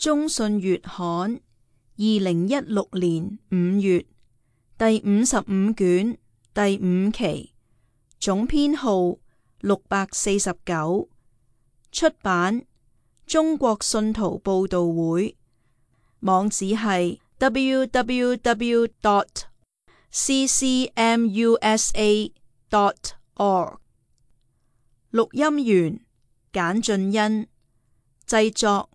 中信月刊2016年5月第55卷第5期，總編號649，出版中國信徒報道會，網址係 www.ccmusa.org。 錄音員簡俊恩，製作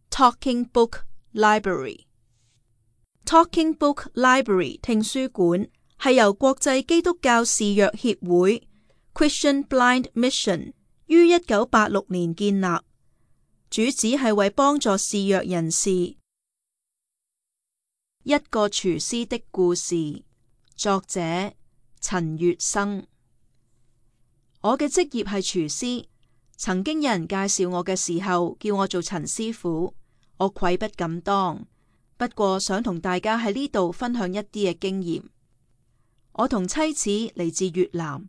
Talking Book Library。Talking Book Library 聽書館係由國際基督教視弱協會 Christian Blind Mission 於1986年建立，主旨係為幫助視弱人士。一個廚師的故事，作者陳月生。我嘅職業係廚師，曾經有人介紹我嘅時候叫我做陳師傅，我愧不敢當。不過想同大家喺呢度分享一啲嘅經驗。我同妻子嚟自越南，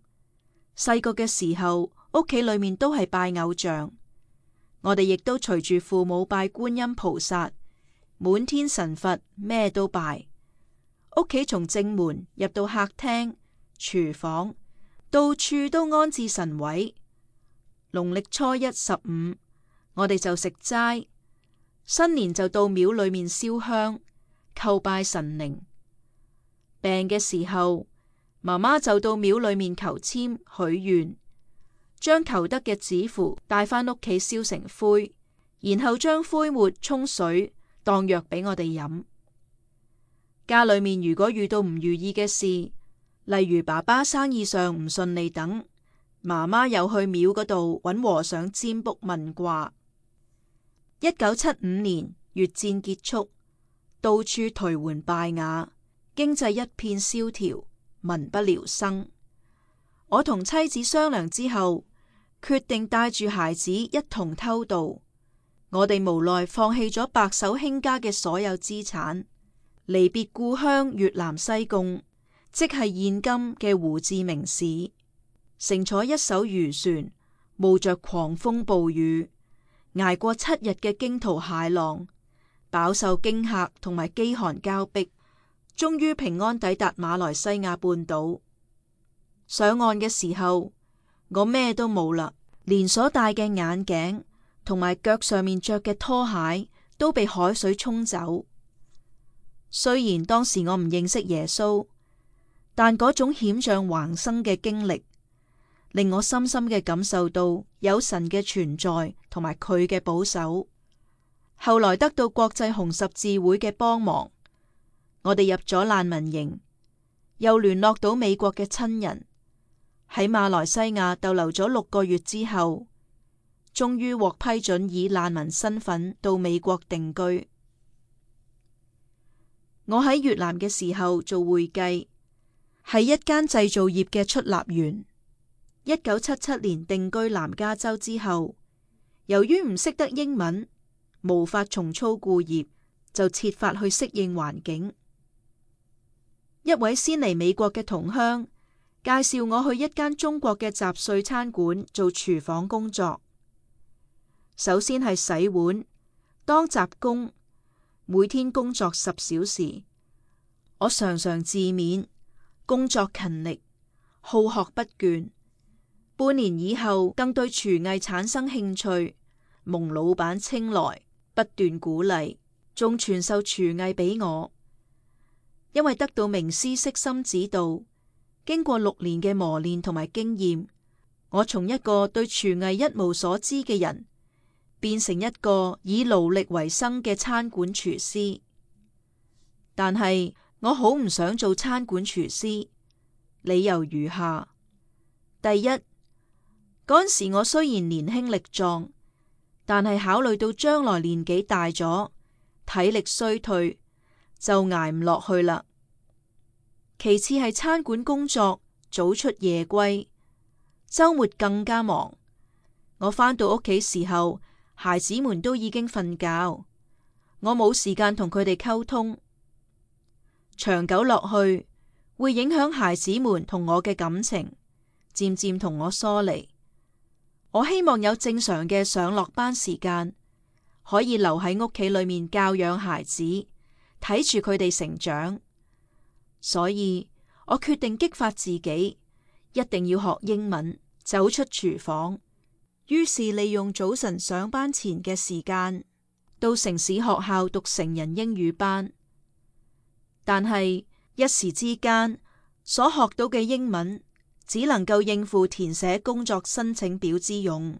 細個嘅時候屋企裏面都係拜偶像，我哋亦都隨住父母拜觀音菩薩、滿天神佛，咩都拜。屋企從正門入到客廳、廚房，到處都安置神位。農曆初一、15，我哋就食齋。新年就到廟裏面燒香，叩拜神靈。病嘅時候，媽媽就到廟裏面求籤許願，將求得嘅紙符帶返屋企燒成灰，然後將灰末沖水當藥俾我哋飲。家裏面如果遇到唔如意嘅事，例如爸爸生意上唔順利等，媽媽又去廟嗰度揾和尚占卜問卦。1975年越戰結束，到處頹垣敗瓦，經濟一片蕭條，民不聊生。我同妻子商量之後，決定帶住孩子一同偷渡。我哋無奈放棄咗白手興家嘅所有資產，離別故鄉越南西貢，即係現今嘅胡志明市，乘坐一艘漁船，冒着狂風暴雨，捱過7日嘅驚濤駭浪，飽受驚嚇同埋飢寒交迫，終於平安抵達馬來西亞半島。上岸嘅時候，我咩都冇啦，連所戴嘅眼鏡同埋腳上面着嘅拖鞋都被海水沖走。雖然當時我唔認識耶穌，但嗰種險象橫生嘅經歷，令我深深嘅感受到有神嘅存在同埋佢嘅保守。後來得到國際紅十字會嘅幫忙，我哋入咗難民營，又聯絡到美國嘅親人，喺馬來西亞逗留咗6個月之後，終於獲批准以難民身份到美國定居。我喺越南嘅時候做會計，係一間製造業嘅出納員。1977年定居南加州之後，由於唔識得英文，無法重操故業，就設法去適應環境。一位先嚟美國嘅同鄉介紹我去一間中國嘅雜碎餐館做廚房工作。首先係洗碗、當雜工，每天工作10小時。我常常自勉，工作勤力，好學不倦。半年以後，更對廚藝產生興趣，蒙老闆青睞，不斷鼓勵，仲傳授廚藝俾我。因為得到名師悉心指導，經過6年嘅磨練同埋經驗，我從一個對廚藝一無所知嘅人，變成一個以勞力為生嘅餐館廚師。但係我好唔想做餐館廚師，理由如下：第一，嗰陣時我雖然年輕力壯，但係考慮到將來年紀大咗，體力衰退，就捱唔落去啦。其次係餐館工作早出夜歸，周末更加忙。我返到屋企時候，孩子們都已經瞓覺，我冇時間同佢哋溝通。長久落去，會影響孩子們同我嘅感情，漸漸同我疏離。我希望有正常嘅上落班時間，可以留喺屋企裏面教養孩子，睇住佢哋成長。所以我決定激發自己，一定要學英文，走出廚房。於是利用早晨上班前嘅時間，到城市學校讀成人英語班。但係一時之間，所學到嘅英文只能夠應付填寫工作申請表之用，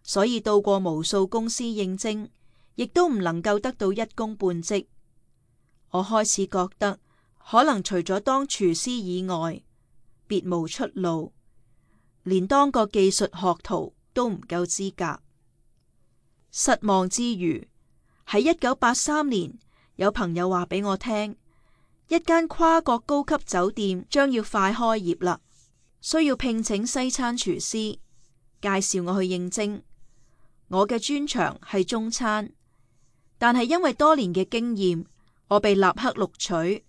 所以到過無數公司應徵，亦都唔能夠得到一工半職。我開始覺得，可能除咗當廚師以外，別無出路，連當個技術學徒都唔夠資格。失望之餘，喺1983年，有朋友話俾我聽，一間跨國高級酒店將要快開業啦，需要聘請西餐廚師，介紹我去應徵。我嘅專長係中餐，但係因為多年嘅經驗，我被立刻錄取。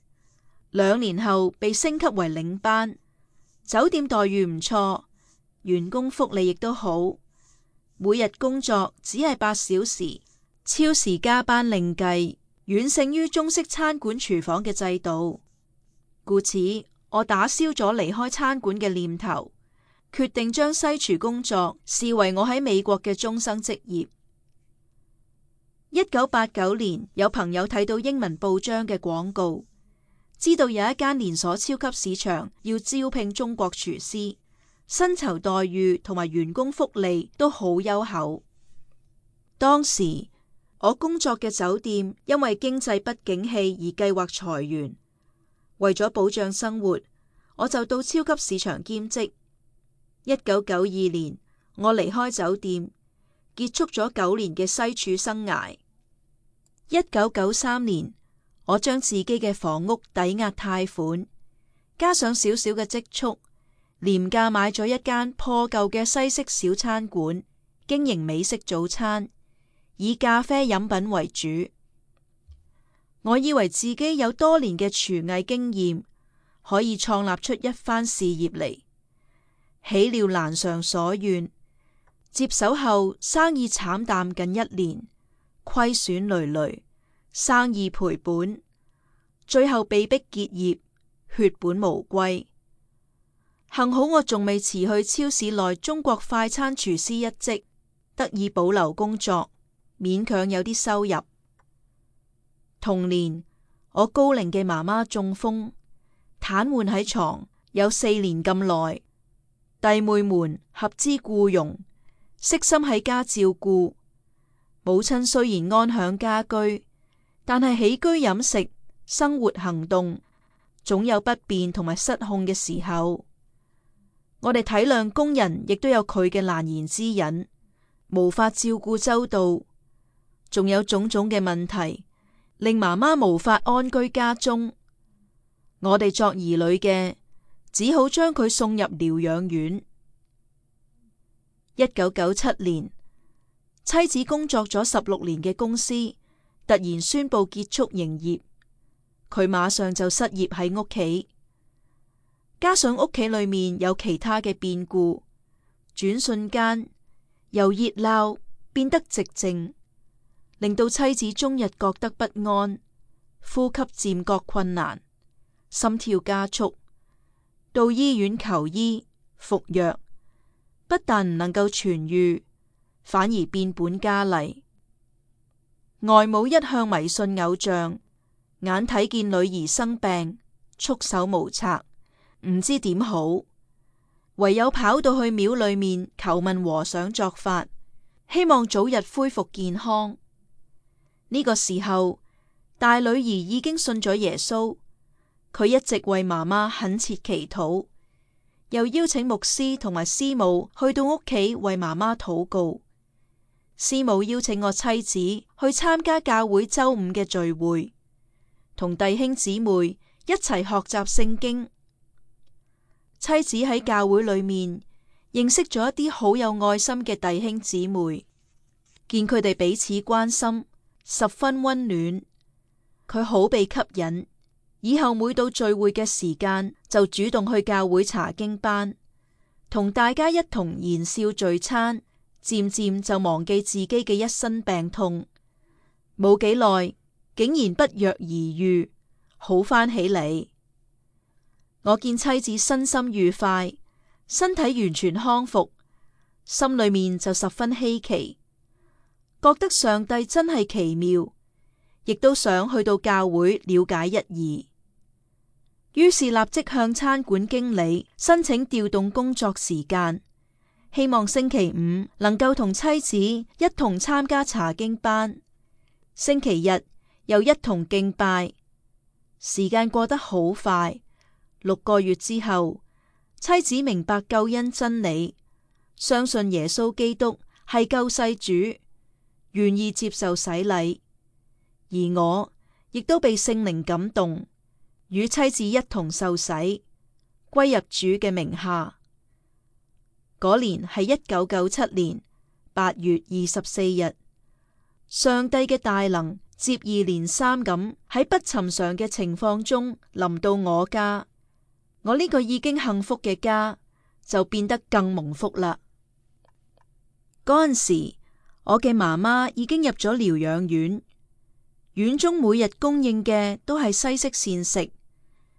2年後被升級為領班，酒店待遇唔錯，員工福利亦都好，每日工作只係8小時，超時加班另計，遠勝於中式餐館廚房嘅制度。故此，我打消咗離開餐館嘅念頭，決定將西廚工作視為我喺美國嘅終生職業。1989年，有朋友睇到英文報章嘅廣告，知道有一間連鎖超級市場要招聘中國廚師，薪酬待遇同埋員工福利都好優厚。當時我工作嘅酒店因為經濟不景氣而計劃裁員，為咗保障生活，我就到超級市場兼職。1992年，我離開酒店，結束咗9年嘅西廚生涯。1993年，我將自己嘅房屋抵押貸款，加上少少嘅積蓄，廉價買咗一間破舊嘅西式小餐館，經營美式早餐，以咖啡飲品為主。我以為自己有多年嘅廚藝經驗，可以創立出一番事業嚟。豈料難償所願，接手後生意慘淡近1年，虧損累累，生意賠本，最後被迫結業，血本無歸。幸好我仲未辭去超市內中國快餐廚師一職，得以保留工作，勉強有啲收入。同年，我高齡嘅媽媽中風，癱瘓喺床有4年咁耐。弟妹們合資僱傭，悉心喺家照顧。母親雖然安享家居，但係起居飲食、生活行動總有不便同埋失控嘅時候。我哋體諒工人亦都有佢嘅難言之隱，無法照顧周到，仲有種種嘅問題，令媽媽無法安居家中。我哋作兒女嘅，只好將佢送入療養院。1997年，妻子工作咗16年嘅公司突然宣布結束營業，佢馬上就失業喺屋企。加上屋企裏面有其他嘅變故，轉瞬間由熱鬧變得寂靜，令到妻子終日覺得不安，呼吸漸覺困難，心跳加速。到醫院求醫服藥，不但唔能夠痊愈，反而變本加厲。外母一向迷信偶像，眼睇見女兒生病，束手無策，唔知點好，唯有跑到去廟裏面求問和尚作法，希望早日恢復健康。呢個時候，大女兒已經信咗耶穌。佢一直為媽媽懇切祈禱，又邀請牧師同埋師母去到屋企為媽媽禱告。師母邀請我妻子去參加教會周5嘅聚會，同弟兄姊妹一齊學習聖經。妻子喺教會裏面認識咗一啲好有愛心嘅弟兄姊妹，見佢哋彼此關心，十分溫暖，佢好被吸引。以後每到聚會嘅時間，就主動去教會查經班，同大家一同言笑聚餐，漸漸就忘記自己嘅一身病痛，冇幾耐，竟然不藥而愈，好返起嚟。我見妻子身心愉快，身體完全康復，心裏面就十分稀奇，覺得上帝真係奇妙，亦都想去到教會了解一二。於是立即向餐館經理申請調動工作時間，希望星期五能夠同妻子一同參加查經班，星期日又一同敬拜。時間過得好快，6個月之後，妻子明白救恩真理，相信耶穌基督係救世主，願意接受洗禮，而我亦都被聖靈感動，與妻子一同受洗，歸入主嘅名下。嗰年係1997年8月24日，上帝嘅大能接二連三咁喺不尋常嘅情況中臨到我家，我呢個已經幸福嘅家就變得更蒙福啦。嗰陣時，我嘅媽媽已經入咗療養院，院中每日供應嘅都係西式膳食，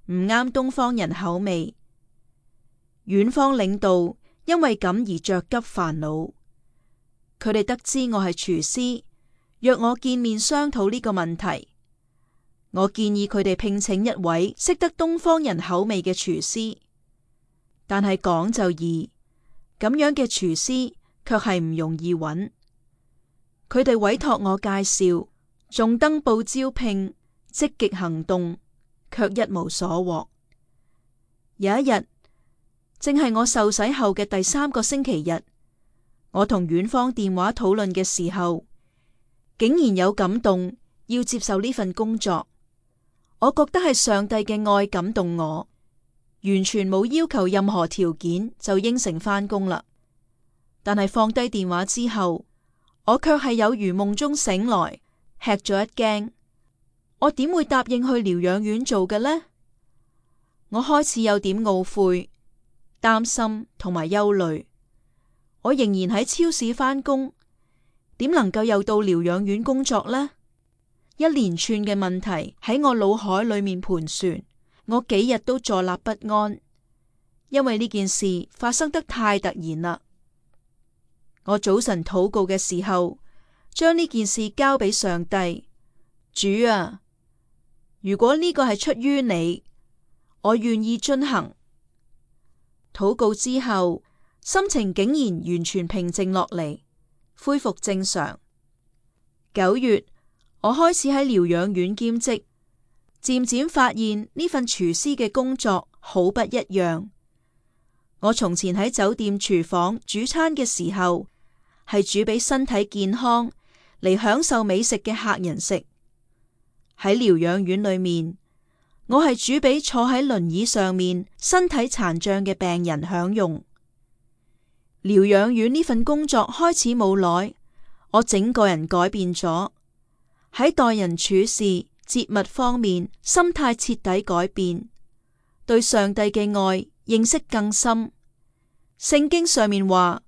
唔啱東方人口味。院方領導因為咁而着急煩惱，佢哋得知我係廚師，約我見面商討呢個問題。我建議佢哋聘請一位識得東方人口味嘅廚師，但係講就易，咁樣嘅廚師卻係唔容易揾。佢哋委託我介紹，仲登報招聘，積極行動，卻一無所獲。有一日，正係我受洗後嘅第3個星期日，我同院方電話討論嘅時候，竟然有感動要接受呢份工作。我覺得係上帝嘅愛感動我，完全冇要求任何條件就應承返工啦。但係放低電話之後，我卻係有如夢中醒來，吃咗一驚。我點會答應去療養院做嘅呢？我開始有點懊悔、擔心同埋憂慮。我仍然喺超市返工，點能夠又到療養院工作呢？一連串嘅問題喺我腦海裏面盤旋，我幾日都坐立不安，因為呢件事發生得太突然啦。我早晨禱告嘅時候，將呢件事交俾上帝。主啊，如果呢個係出於你，我願意遵行。禱告之後，心情竟然完全平靜落嚟，恢復正常。9月，我開始喺療養院兼職，漸漸發現呢份廚師嘅工作好不一樣。我從前喺酒店廚房煮餐嘅時候，係煮俾身體健康嚟享受美食嘅客人食。喺療養院裏面，我係煮俾坐喺輪椅上面身體殘障嘅病人享用。療養院呢份工作開始冇耐，我整個人改變咗，喺待人處事、節物方面，心態徹底改變，對上帝嘅愛認識更深。聖經上面話，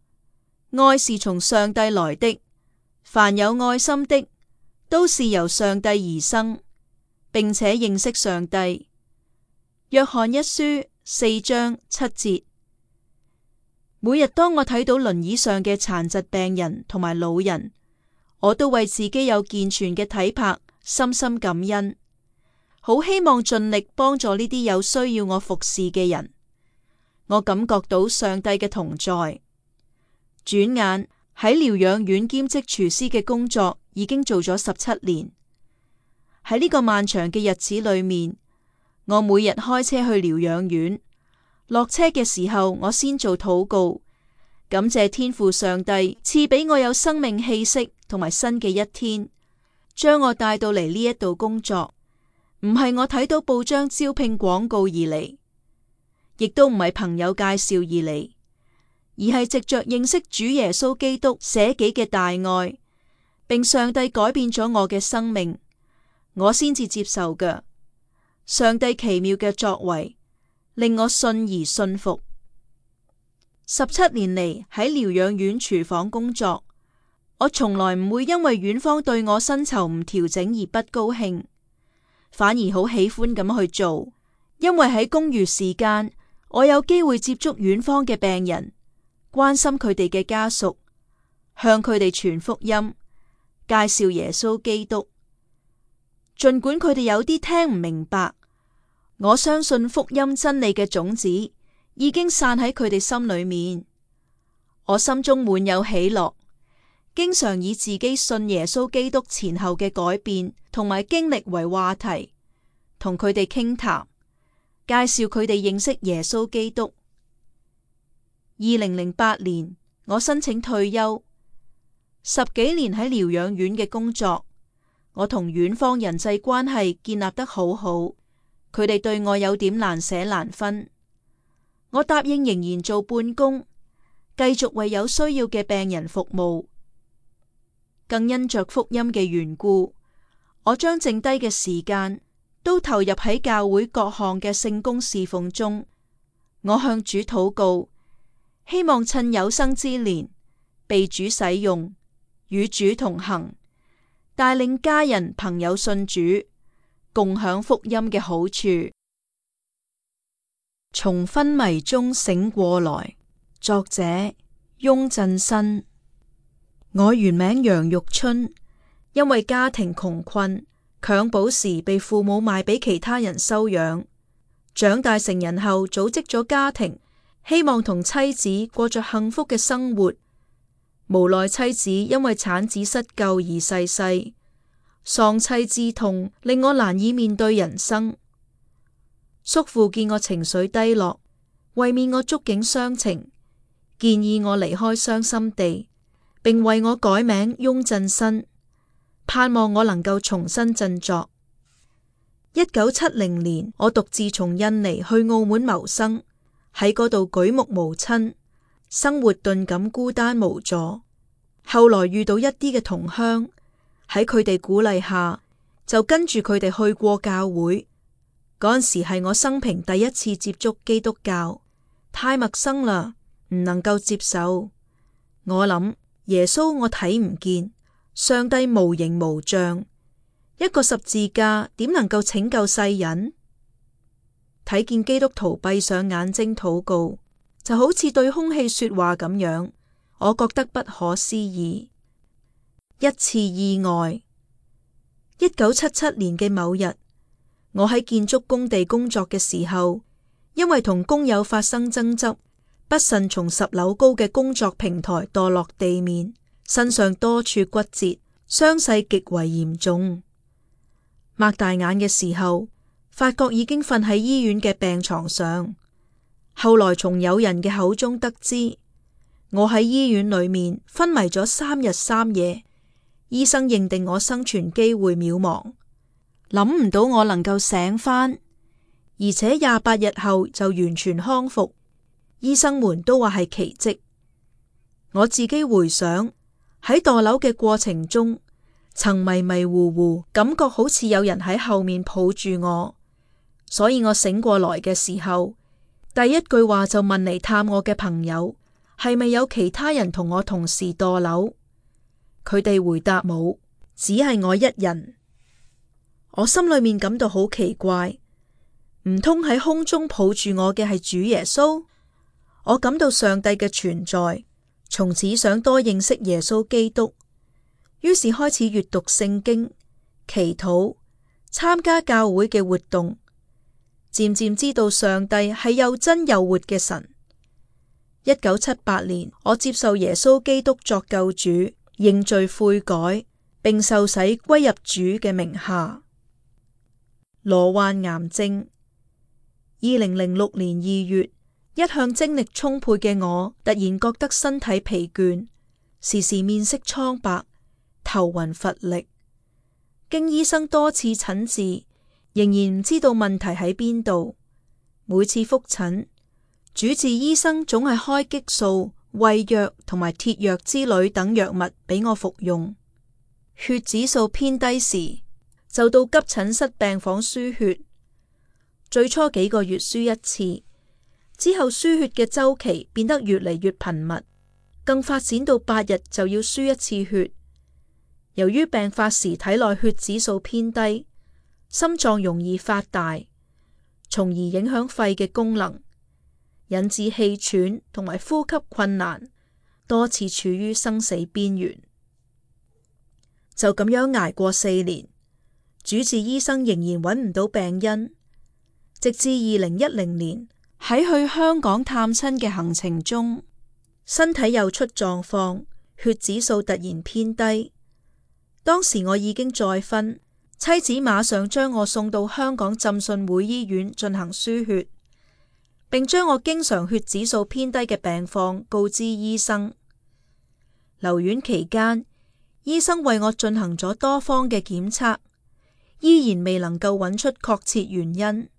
愛是從上帝來的，凡有愛心的，都是由上帝而生，並且認識上帝。約翰一書4章7節。每日當我睇到輪椅上嘅殘疾病人同埋老人，我都為自己有健全嘅體魄深深感恩，好希望盡力幫助呢啲有需要我服侍嘅人。我感覺到上帝嘅同在。轉眼喺療養院兼職廚師嘅工作已經做咗17年。喺呢個漫長嘅日子裏面，我每日開車去療養院，落車嘅時候我先做禱告，感謝天父上帝賜俾我有生命氣息同埋新嘅一天，將我帶到嚟呢一度工作。唔係我睇到報章招聘廣告而嚟，亦都唔係朋友介紹而嚟，而係藉着認識主耶穌基督捨己嘅大愛，並上帝改變咗我嘅生命，我先至接受嘅。上帝奇妙嘅作為令我信而信服。17年嚟喺療養院廚房工作，我從來唔會因為院方對我薪酬唔調整而不高興，反而好喜歡咁去做，因為喺公餘時間，我有機會接觸院方嘅病人，關心佢哋嘅家屬，向佢哋傳福音，介紹耶穌基督。儘管佢哋有啲聽唔明白，我相信福音真理嘅種子已經散喺佢哋心裏面。我心中滿有喜樂，經常以自己信耶穌基督前後嘅改變同埋經歷為話題，同佢哋傾談，介紹佢哋認識耶穌基督。2008年，我申請退休，10幾年喺療養院嘅工作，我同院方人際關係建立得好好，佢哋對我有點難捨難分。我答應仍然做半工，繼續為有需要嘅病人服務。更因着福音嘅緣故，我將剩低嘅時間都投入喺教會各項嘅聖工侍奉中。我向主禱告，希望趁有生之年被主使用，與主同行，帶領家人朋友信主，共享福音嘅好處。從昏迷中醒過來，作者翁振新。我原名楊玉春，因為家庭窮困，襁褓時被父母賣俾其他人收養。長大成人後，組織咗家庭，希望同妻子過着幸福嘅生活。無奈妻子因為產子失救而逝世，喪妻之痛令我難以面對人生。叔父見我情緒低落，為免我觸景傷情，建議我離開傷心地，並為我改名翁振新，盼望我能夠重新振作。1970年，我獨自從印尼去澳門謀生，喺嗰度舉目無親，生活頓感孤單無助。後來遇到一啲嘅同鄉，喺佢哋鼓勵下，就跟住佢哋去過教會。嗰陣時係我生平第一次接觸基督教，太陌生啦，唔能夠接受。我諗耶穌我睇唔見，上帝無形無像，一個十字架點能夠拯救世人？睇見基督徒閉上眼睛禱告，就好似對空氣說話咁樣，我覺得不可思議。一次意外，1977年嘅某日，我喺建築工地工作嘅時候，因為同工友發生爭執，不慎從10樓高嘅工作平台墮落地面，身上多處骨折，傷勢極為嚴重。擘大眼嘅時候，發覺已經瞓喺醫院嘅病床上。後來從友人嘅口中得知，我喺醫院裏面昏迷咗3日3夜，醫生認定我生存機會渺茫。諗唔到我能夠醒返，而且28日後就完全康復，醫生們都話係奇蹟。我自己回想喺墮樓嘅過程中，曾迷迷糊糊，感覺好似有人喺後面抱住我，所以我醒過來嘅時候，第一句話就問嚟探我嘅朋友，係咪有其他人同我同時墮樓？佢哋回答冇，只係我一人。我心裏面感到好奇怪，唔通喺空中抱住我嘅係主耶穌？我感到上帝嘅存在，從此想多認識耶穌基督，於是開始閱讀聖經、祈禱、參加教會嘅活動，漸漸知道上帝係又真又活嘅神。1978年，我接受耶穌基督作救主，認罪悔改，並受洗歸入主嘅名下。罹患癌症。2006年2月，一向精力充沛嘅我，突然覺得身體疲倦，時時面色蒼白，頭暈乏力。經醫生多次診治，仍然唔知道問題喺邊度。每次復診，主治醫生總係開激素、胃藥同埋鐵藥之類等藥物俾我服用。血指數偏低時，就到急診室病房輸血。最初幾個月輸一次，之後輸血嘅週期變得越嚟越頻密，更發展到8日就要輸一次血。由於病發時體內血指數偏低，心臟容易發大，從而影響肺嘅功能，引致氣喘同埋呼吸困難，多次處於生死邊緣。就咁樣捱過4年，主治醫生仍然揾唔到病因，直至2010年喺去香港探親嘅行程中，身體又出狀況，血指數突然偏低。當時我已經再婚，妻子馬上將我送到香港浸信會醫院進行輸血，並將我經常血指數偏低嘅病況告知醫生。留院期間，醫生為我進行咗多方嘅檢測，依然未能夠揾出確切原因。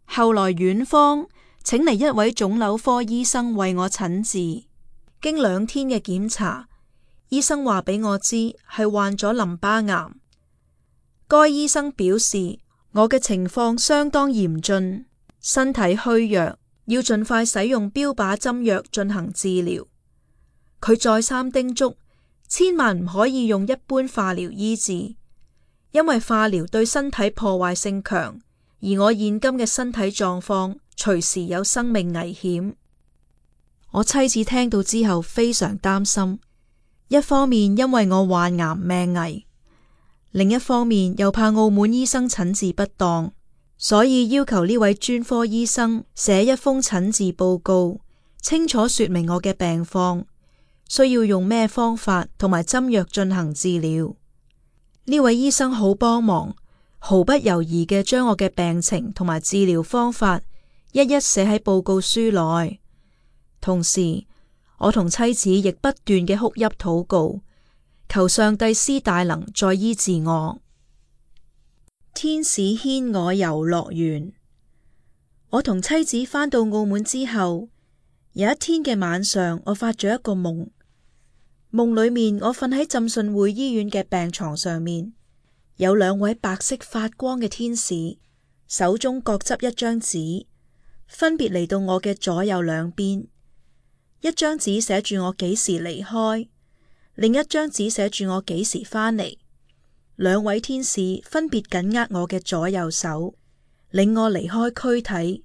後來院方請嚟一位腫瘤科醫生為我診治，經2天嘅檢查，醫生話俾我知係患咗淋巴癌。該醫生表示我嘅情況相當嚴峻，身體虛弱，要盡快使用標靶針藥進行治療。佢再三叮囑，千萬唔可以用一般化療醫治，因為化療對身體破壞性強，而我現今嘅身體狀況隨時有生命危險。我妻子聽到之後非常擔心，一方面因為我患癌命危，另一方面又怕澳門醫生診治不當，所以要求呢位專科醫生寫一封診治報告，清楚說明我嘅病況，需要用咩方法同埋針藥進行治療。呢位醫生好幫忙，毫不猶豫嘅將我嘅病情同埋治療方法一一寫喺報告書內。同時，我同妻子亦不斷嘅哭泣禱告，求上帝施大能再醫治我。天使牽我遊樂園。我同妻子返到澳門之後，有一天嘅晚上，我發咗一個夢。夢裏面我瞓喺浸信會醫院嘅病床上面，有2位白色發光嘅天使，手中各執一張紙，分別嚟到我嘅左右兩邊。一張紙寫住我幾時離開，另一張紙寫住我幾時返嚟。2位天使分別緊握我嘅左右手，領我離開軀體。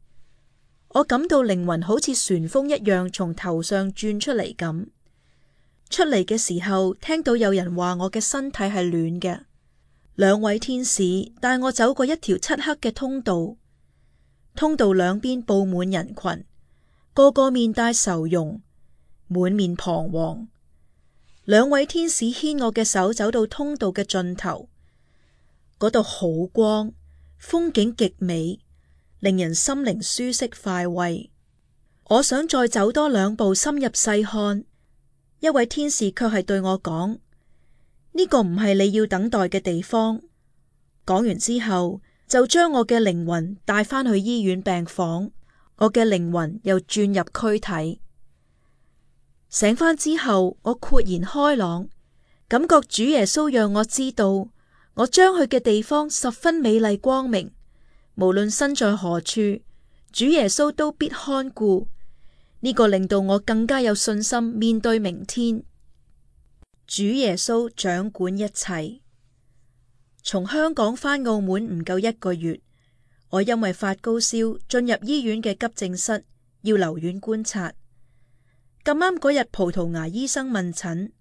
我感到靈魂好似旋風一樣從頭上轉出嚟咁。出嚟嘅時候，聽到有人話我嘅身體係暖嘅。2位天使帶我走過一條漆黑嘅通道，通道兩邊布滿人群，個個面帶愁容，滿面彷徨。2位天使牽我嘅手走到通道嘅盡頭，嗰度好光，風景極美，令人心靈舒適快慰。我想再走多2步深入細看，一位天使卻係對我講：呢個唔係你要等待嘅地方。講完之後，就將我嘅靈魂帶返去醫院病房，我嘅靈魂又轉入軀體。醒返之後，我豁然開朗，感覺主耶穌讓我知道，我將去嘅地方十分美麗光明，無論身在何處，主耶穌都必看顧。呢個令到我更加有信心面對明天。主耶穌掌管一切。從香港返澳門唔夠1個月，我因為發高燒進入醫院嘅急症室，要留院觀察。咁啱嗰日葡萄牙醫生問診，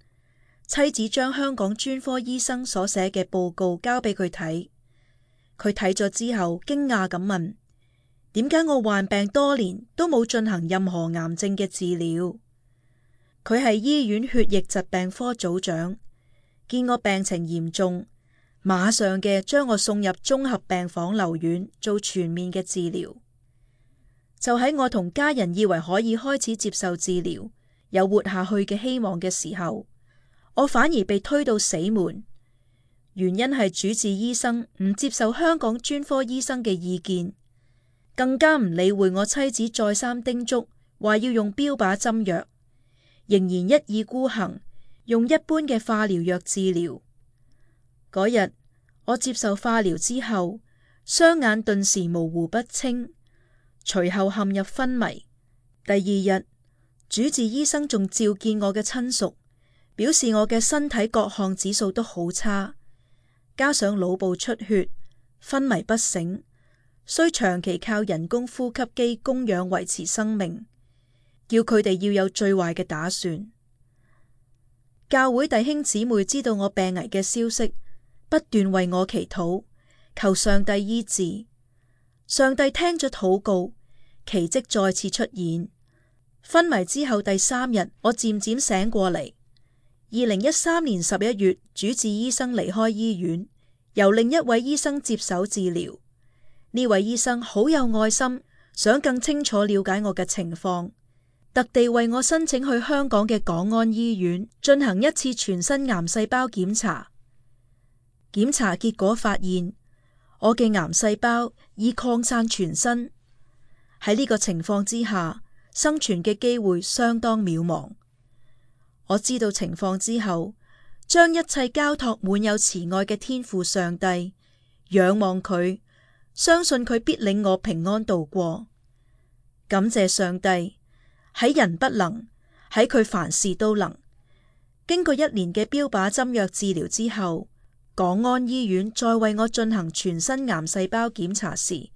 妻子將香港專科醫生所寫嘅報告交俾佢睇。佢睇咗之後驚訝咁問：點解我患病多年都冇進行任何癌症嘅治療？佢係醫院血液疾病科組長，見我病情嚴重，馬上嘅將我送入綜合病房留院做全面嘅治療。就喺我同家人以為可以開始接受治療，有活下去嘅希望嘅時候，我反而被推到死門。原因係主治醫生唔接受香港專科醫生嘅意見，更加唔理會我妻子再三叮囑，話要用標靶針藥，仍然一意孤行，用一般嘅化療藥治療。嗰日我接受化療之後，雙眼頓時模糊不清，隨後陷入昏迷，第二日，主治醫生仲召見我嘅親屬，表示我嘅身體各項指數都好差，加上腦部出血、昏迷不醒，需長期靠人工呼吸機供氧維持生命，叫佢哋要有最壞嘅打算。教會弟兄姊妹知道我病危嘅消息，不斷為我祈禱，求上帝醫治。上帝聽咗禱告，奇蹟再次出現。昏迷之後第3日，我漸漸醒過嚟。2013年11月，主治醫生離開醫院，由另一位醫生接手治療。呢位醫生好有愛心，想更清楚了解我嘅情況，特地為我申請去香港嘅港安醫院進行一次全身癌細胞檢查。檢查結果發現，我嘅癌細胞已擴散全身。喺呢個情況之下，生存嘅機會相當渺茫。我知道情況之後，將一切交託滿有慈愛嘅天父上帝，仰望佢，相信佢必領我平安度過。感謝上帝，喺人不能，喺佢凡事都能。經過1年嘅標靶針藥治療之後，港安醫院再為我進行全身癌細胞檢查時，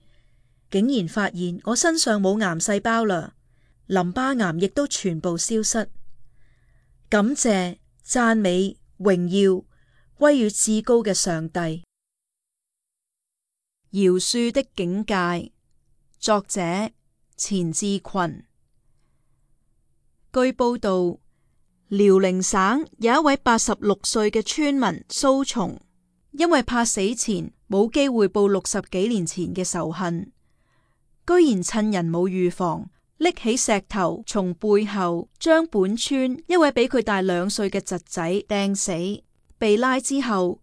竟然發現我身上冇癌細胞啦，淋巴癌亦都全部消失。感謝、讚美、榮耀歸於至高嘅上帝。饒恕的境界，作者錢志群。據報道，遼寧省有一位86歲嘅村民蘇松，因為怕死前冇機會報60幾年前嘅仇恨，居然趁人冇預防，拎起石頭從背後將本村一位比佢大2歲嘅侄仔掟死。被拉之後，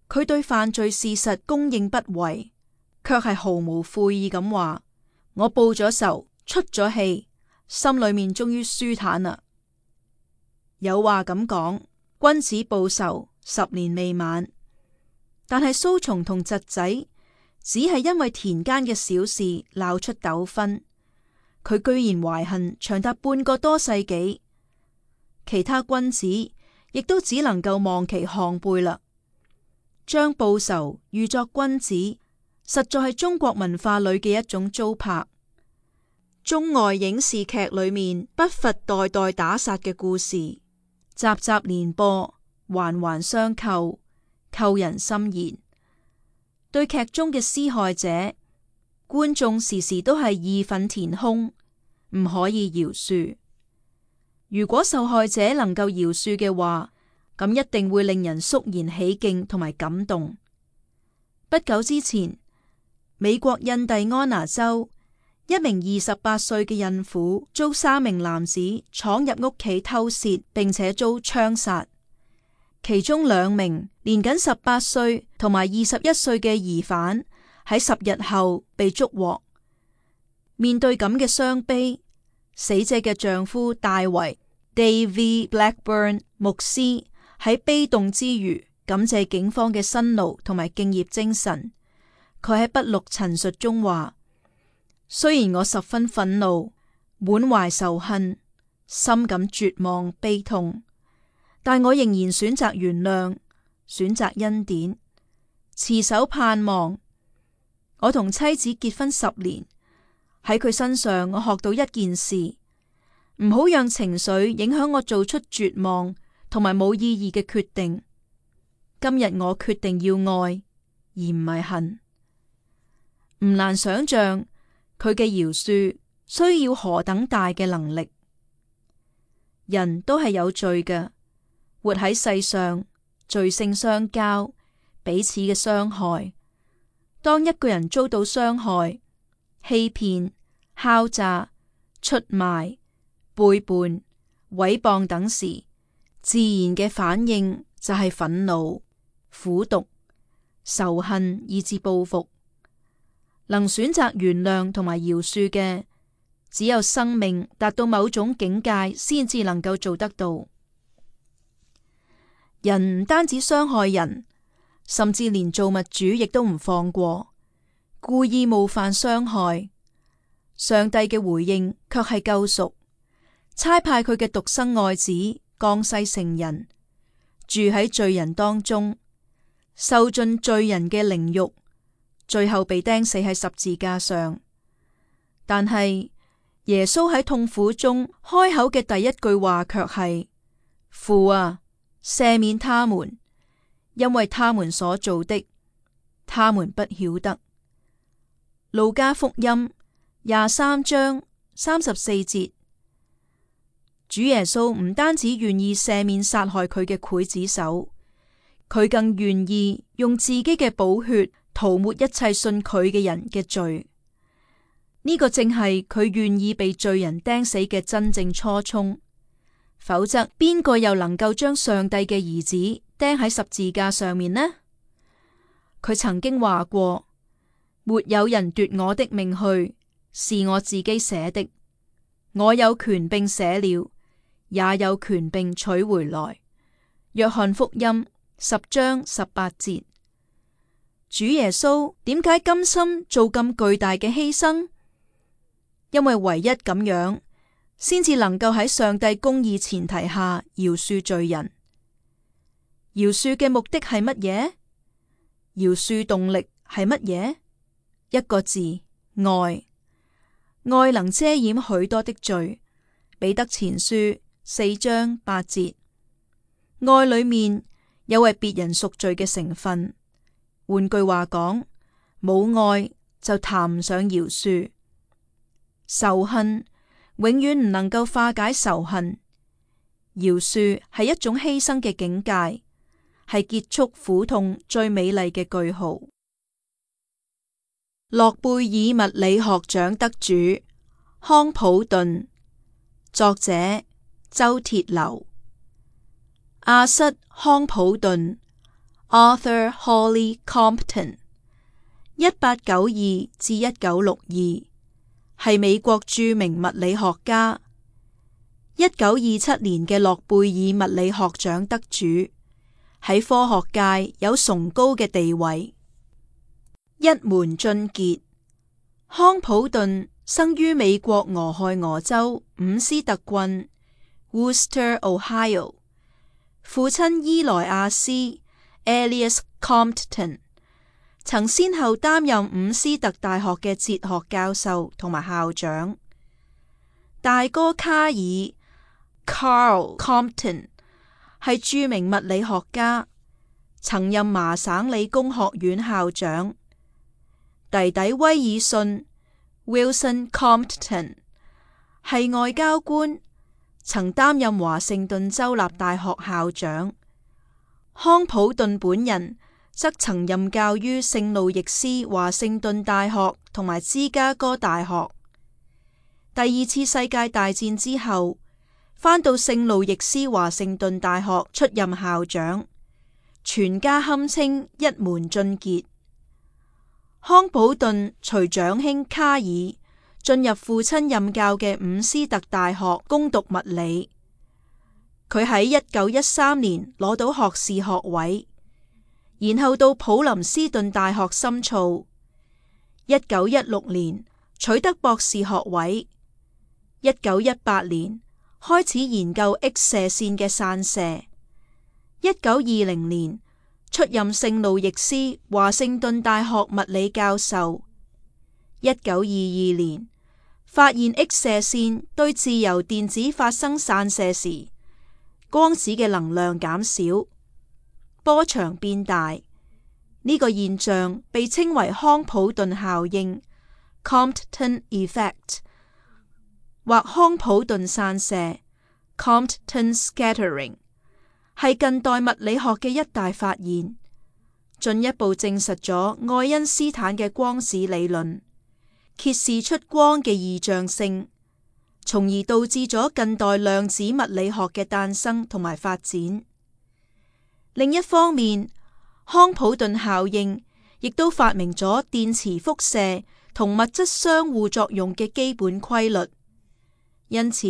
佢對犯罪事實供認不諱，卻係毫無悔意咁話：我報咗仇，出咗氣，心裏面終於舒坦啦。有話咁講，君子報仇10年未晚。但係蘇松同侄仔只係因為田間嘅小事鬧出糾紛，佢居然懷恨長達半個多世紀。其他君子亦都只能夠望其項背啦。將報仇喻作君子，實在係中國文化裏嘅一種糟粕。中外影視劇裏面不乏代代打殺嘅故事，集集連播，環環相扣，扣人心弦。對劇中嘅施害者，觀眾時時都係義憤填膺，唔可以饒恕。如果受害者能夠饒恕嘅話，咁一定會令人肅然起敬同埋感動。不久之前，美國印第安納州一名28歲嘅孕婦遭3名男子闖入屋企偷竊，並且遭槍殺。其中2名年僅18歲同埋21歲嘅疑犯喺10日後被捉獲。面對咁嘅傷悲，死者嘅丈夫大衛 David Blackburn 牧師喺悲痛之餘，感謝警方嘅辛勞同埋敬業精神。佢喺筆錄陳述中話：雖然我十分憤怒，滿懷仇恨，深感絕望悲痛，但我仍然選擇原諒，選擇恩典，持守盼望。我同妻子結婚10年，喺佢身上我學到一件事：唔好讓情緒影響我做出絕望同埋冇意義嘅決定。今日我決定要愛，而唔係恨。唔難想象佢嘅饒恕需要何等大嘅能力。人都係有罪嘅，活喺世上，罪性相交，彼此嘅傷害。當一個人遭到傷害、欺騙、敲詐、出賣、背叛、毀謗等時，自然嘅反應就係憤怒、苦毒、仇恨以至報復。能選擇原諒同埋饒恕嘅，只有生命達到某種境界先至能夠做得到。人唔單止傷害人，甚至連造物主亦都唔放過，故意冒犯傷害。上帝嘅回應卻係救贖，差派佢嘅獨生愛子降世成人，住喺罪人當中，受盡罪人嘅凌辱，最後被釘死喺十字架上。但係耶穌喺痛苦中開口嘅第一句話卻係：父啊，赦免他們，因為他們所做的，他們不曉得。路加福音23章34節，主耶穌唔單止願意赦免殺害佢嘅劊子手，佢更願意用自己嘅寶血塗抹一切信佢嘅人嘅罪。呢個正係佢願意被罪人釘死嘅真正初衷。否則，邊個又能夠將上帝嘅兒子釘喺十字架上面呢？佢曾經話過：沒有人奪我的命去，是我自己捨的。我有權並捨了，也有權並取回來。約翰福音10章18節。主耶穌點解甘心做咁巨大嘅犧牲？因為唯一咁樣，先至能夠喺上帝公義前提下饒恕罪人。饒恕嘅目的係乜嘢？饒恕動力係乜嘢？一個字：愛。愛能遮掩許多的罪。彼得前書4章8節。愛裏面有為別人贖罪嘅成分。換句話講，冇愛就談唔上饒恕。仇恨永遠唔能夠化解仇恨。饒恕係一種犧牲嘅境界，係結束苦痛最美麗嘅句號。諾貝爾物理學獎得主康普頓，作者周鐵流。亞瑟康普頓 Arthur Holly Compton 1892至1962，係美國著名物理學家。1927年嘅諾貝爾物理學獎得主，喺科學界有崇高嘅地位。一門俊傑。康普頓生於美國俄亥俄州伍斯特郡 Worcester，Ohio。父親伊萊亞斯 Elias Compton 曾先後擔任伍斯特大學嘅哲學教授同埋校長。大哥卡爾 Carl Compton 係著名物理學家，曾任麻省理工學院校長。弟弟威爾遜 Wilson Compton 係外交官，曾擔任華盛頓州立大學校長。康普頓本人則曾任教於聖路易斯華盛頓大學同埋芝加哥大學。第二次世界大戰之後，返到聖路易斯華盛頓大學出任校長，全家堪稱一門俊傑。康普頓隨長兄卡爾進入父親任教嘅伍斯特大學攻讀物理。佢喺1913年攞到學士學位，然後到普林斯頓大學深造。1916年取得博士學位。1918年開始研究 X 射線嘅散射。1920年出任聖路易斯華盛頓大學物理教授。1922年發現 X 射線對自由電子發生散射時，光子嘅能量減少，波長變大。呢個現象被稱為康普頓效應 （Compton Effect） 或康普頓散射 （Compton Scattering），係近代物理學嘅一大發現，進一步證實咗愛因斯坦嘅光子理論，揭示出光嘅異象性，從而導致咗近代量子物理學嘅誕生同埋發展。另一方面，康普頓效應亦都發明咗電磁輻射同物質相互作用嘅基本規律。因此，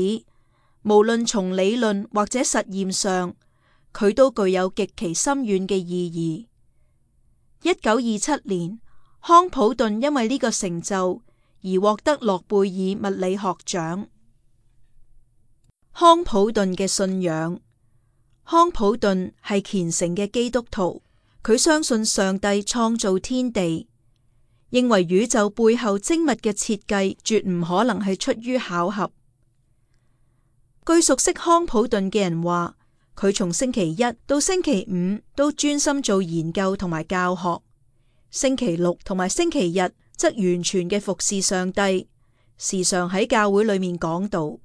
無論從理論或者實驗上，佢都具有極其深遠嘅意義。1927年，康普頓因為呢個成就而獲得諾貝爾物理學獎。康普頓嘅信仰。康普頓係虔誠嘅基督徒，佢相信上帝創造天地，認為宇宙背後精密嘅設計絕唔可能係出於巧合。據熟悉康普頓嘅人話，佢從星期一到星期五都專心做研究同埋教學，星期六同埋星期日則完全嘅服侍上帝，時常喺教會裏面講道。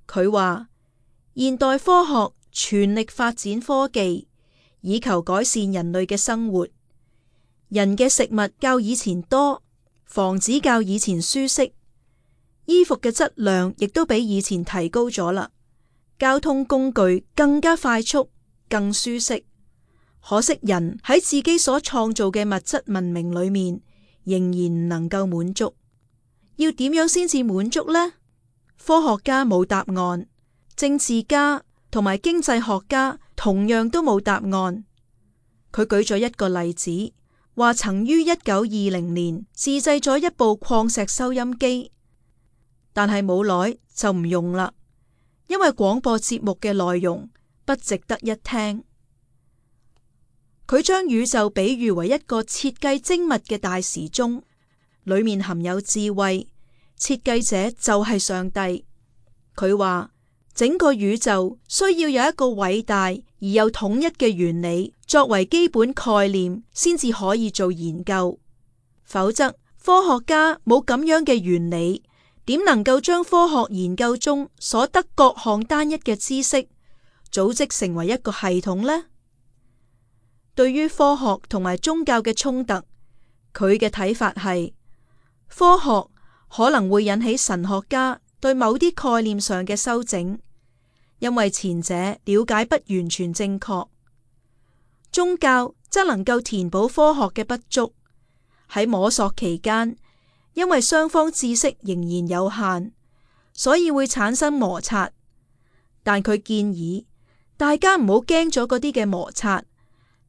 佢話現代科學全力發展科技，以求改善人類嘅生活。人嘅食物較以前多，房子較以前舒適，衣服嘅質量亦都比以前提高咗啦。交通工具更加快速，更舒適。可惜人喺自己所創造嘅物質文明裏面，仍然唔能夠滿足。要點樣先至滿足呢？科學家冇答案，政治家同埋經濟學家同樣都冇答案。佢舉咗一個例子，話曾於1920年自製咗一部礦石收音機，但係冇耐就唔用啦，因為廣播節目嘅內容不值得一聽。佢將宇宙比喻為一個設計精密嘅大時鐘，裏面含有智慧，設計者就係上帝。佢話整個宇宙需要有一個偉大而又統一嘅原理作為基本概念，先至可以做研究。否則科學家冇咁樣嘅原理，點能夠將科學研究中所得各項單一嘅知識組織成為一個系統呢？對於科學同埋宗教嘅衝突，佢嘅睇法係科學可能會引起神學家對某啲概念上嘅修整，因為前者了解不完全正確。宗教則能夠填補科學嘅不足。喺摸索期間，因為雙方知識仍然有限，所以會產生摩擦。但佢建議大家唔好驚咗嗰啲嘅摩擦，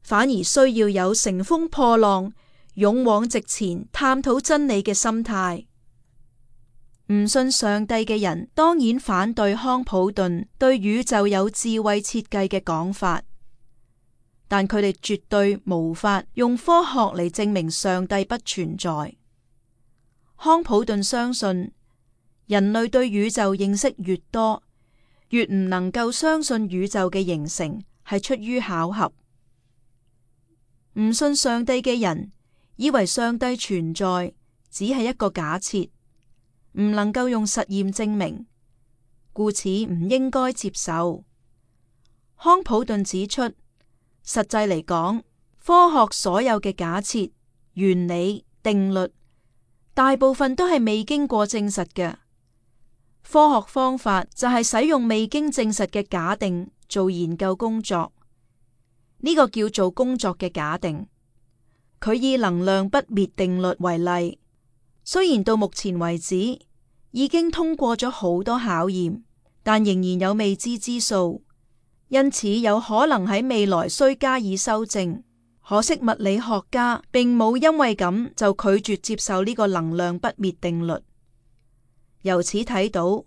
反而需要有乘風破浪、勇往直前探討真理嘅心態。唔信上帝嘅人當然反對康普頓對宇宙有智慧設計嘅講法，但佢哋絕對無法用科學嚟證明上帝不存在。康普頓相信人類對宇宙認識越多，越唔能夠相信宇宙嘅形成係出於巧合。唔信上帝嘅人以為上帝存在只係一個假設，唔能夠用實驗證明，故此唔應該接受。康普頓指出，實際嚟講，科學所有嘅假設、原理、定律，大部分都係未經過證實嘅。科學方法就係使用未經證實嘅假定做研究工作，呢個叫做工作嘅假定。佢以能量不滅定律為例，雖然到目前為止已經通過咗好多考驗，但仍然有未知之數，因此有可能喺未來需加以修正。可惜物理學家並冇因為咁就拒絕接受呢個能量不滅定律。由此睇到，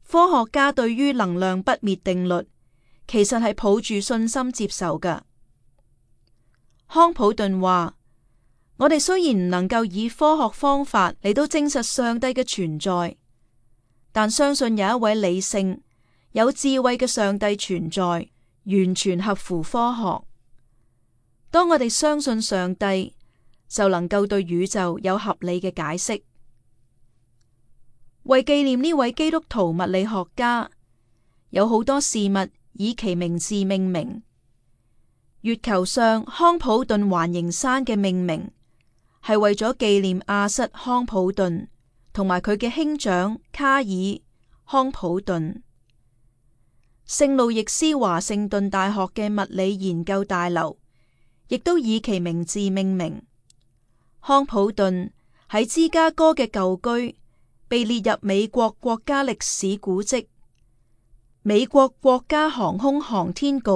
科學家對於能量不滅定律其實係抱住信心接受㗎。康普頓話：我哋雖然唔能夠以科學方法嚟到證實上帝嘅存在，但相信有一位理性、有智慧嘅上帝存在，完全合乎科學。當我哋相信上帝，就能夠對宇宙有合理嘅解釋。為紀念呢位基督徒物理學家，有好多事物以其名字命名。月球上康普頓環形山嘅命名係為咗紀念亞瑟康普頓同埋佢嘅兄長卡爾康普頓。聖路易斯華盛頓大學嘅物理研究大樓亦都以其名字命名。康普頓喺芝加哥嘅舊居被列入美國國家歷史古蹟。美國國家航空航天局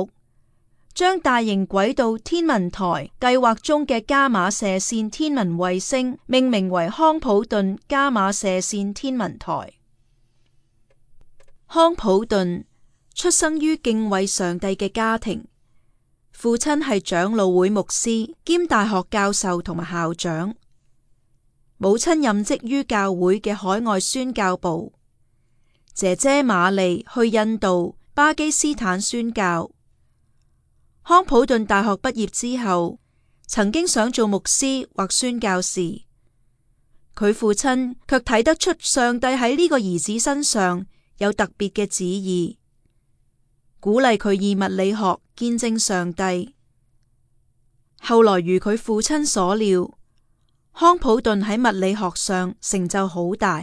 將大型軌道天文台計劃中嘅伽馬射線天文衛星命名為康普頓伽馬射線天文台。康普頓出生於敬畏上帝嘅家庭，父親係長老會牧師兼大學教授同埋校長，母親任職於教會嘅海外宣教部，姐姐瑪麗去印度、巴基斯坦宣教。康普頓大學畢業之後，曾經想做牧師或宣教士，佢父親卻睇得出上帝喺呢個兒子身上有特別嘅旨意，鼓勵佢以物理學見證上帝。後來如佢父親所料，康普頓喺物理學上成就好大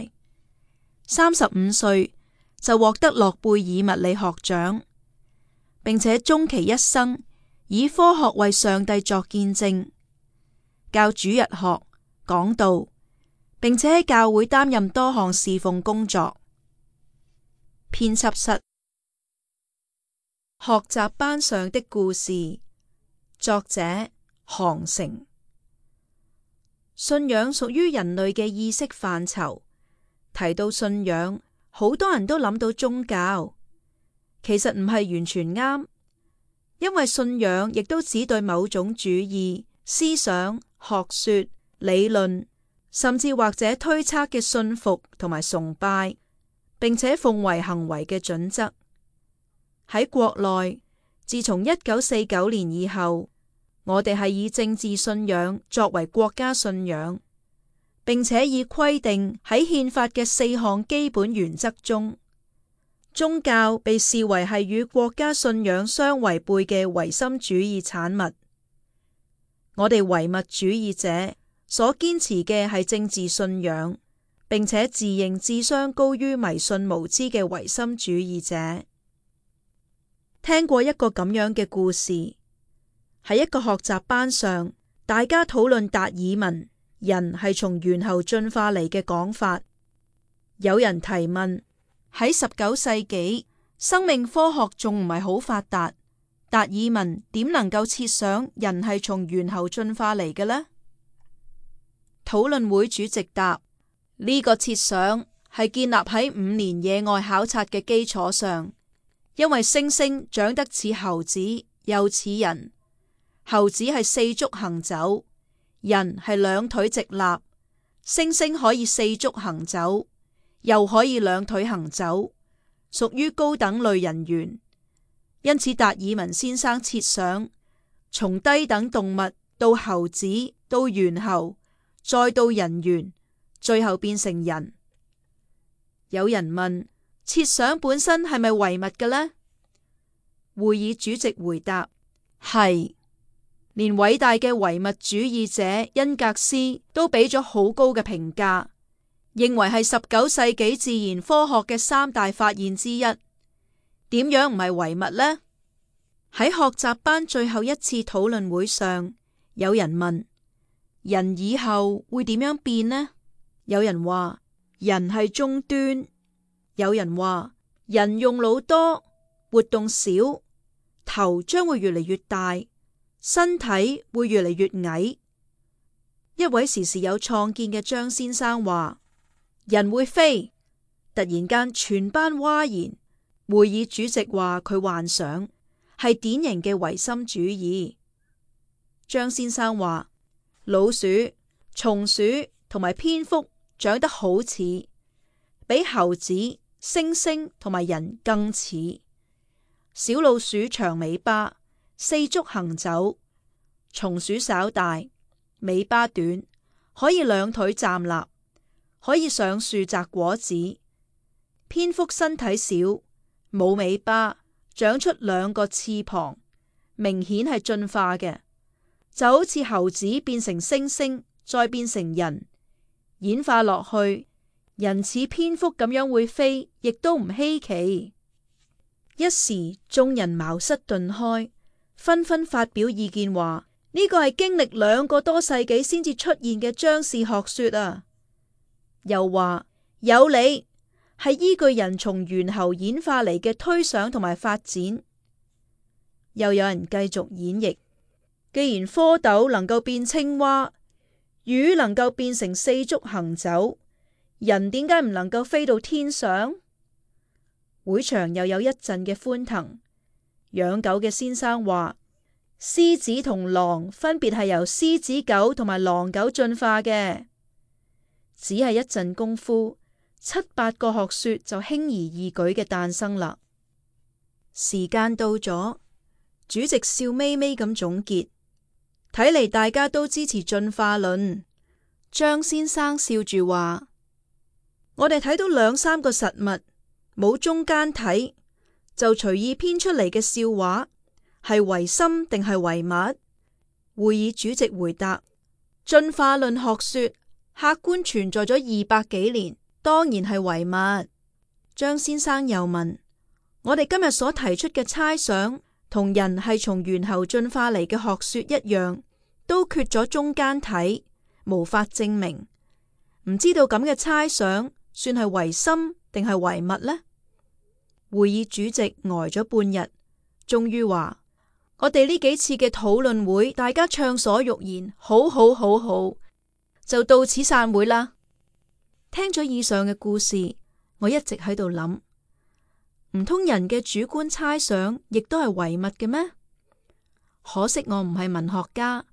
，35歲就獲得諾貝爾物理學獎，並且終其一生以科學為上帝作見證，教主日學、講道，並且喺教會擔任多項侍奉工作。編輯室。學習班上的故事，作者韓城。信仰屬於人類嘅意識範疇，提到信仰，好多人都諗到宗教，其實唔係完全啱。因為信仰亦都只對某種主義、思想、學說、理論，甚至或者推測嘅信服同埋崇拜，並且奉為行為嘅準則。喺國內，自從1949年以後，我哋係以政治信仰作為國家信仰，並且以規定喺憲法嘅4項基本原則中，宗教被視為係與國家信仰相違背嘅唯心主義產物。我哋唯物主義者所堅持嘅係政治信仰，並且自認智商高於迷信無知嘅唯心主義者。聽過一個咁樣嘅故事，喺一個學習班上，大家討論達爾文人係從猿猴進化嚟嘅講法。有人提問，喺19世紀，生命科學仲唔係好發達，達爾文點能夠設想人係從猿猴進化嚟嘅呢？討論會主席答：呢個設想係建立喺5年野外考察嘅基礎上，因為猩猩長得似猴子又似人，猴子係4足行走，人係2腿直立，猩猩可以4足行走，又可以2腿行走，屬於高等類人猿。因此達爾文先生設想，從低等動物到猴子，到猿猴，再到人猿，最後變成人。有人問，設想本身係咪唯物嘅呢？會議主席回答：係，連偉大嘅唯物主義者恩格斯都俾咗好高嘅評價，認為係19世紀自然科學嘅3大發現之一。點樣唔係唯物呢？喺學習班最後一次討論會上，有人問：人以後會點樣變呢？有人話人係終端，有人話人用腦多，活動少，頭將會越嚟越大，身體會越嚟越矮。一位時時有創建嘅張先生話：人會飛。突然間全班嘩然。會議主席話佢幻想，係典型嘅唯心主義。張先生話：老鼠、松鼠同埋蝙蝠長得好似，比猴子、猩猩同埋人更似。小老鼠長尾巴，4足行走；松鼠稍大，尾巴短，可以2腿站立，可以上樹摘果子。蝙蝠身體小，冇尾巴，長出2個翅膀，明顯係進化嘅，就好似猴子變成猩猩，再變成人，演化落去，人似蝙蝠咁樣會飛，亦都唔稀奇。一時眾人茅塞頓開，紛紛發表意見話：呢個係經歷2個多世紀先至出現嘅張氏學說啊！又話有理。係依據人從猿猴演化嚟嘅推想同埋發展。又有人繼續演繹：既然蝌蚪能夠變青蛙，魚能夠變成四足行走，人點解唔能夠飛到天上？會場又有一陣嘅歡騰。養狗嘅先生話：獅子同狼分別係由獅子狗同埋狼狗進化嘅。只係一陣功夫，7、8個學說就輕而易舉嘅誕生啦。時間到咗，主席笑眯眯咁總結：睇嚟大家都支持進化論。張先生笑住話：我哋睇到2、3個實物，冇中間體，就隨意編出嚟嘅笑話，係唯心定係唯物？會議主席回答：進化論學說客觀存在咗200幾年，當然係唯物。張先生又問：我哋今日所提出嘅猜想，同人係從猿猴進化嚟嘅學說一樣，都缺咗中間體，無法證明。唔知道咁嘅猜想算係唯心定係唯物呢？會議主席呆咗半日，終於話：我哋呢幾次嘅討論會，大家暢所欲言，好，就到此散會啦。聽咗以上嘅故事，我一直喺度諗，唔通人嘅主觀猜想亦都係唯物嘅咩？可惜我唔係文學家，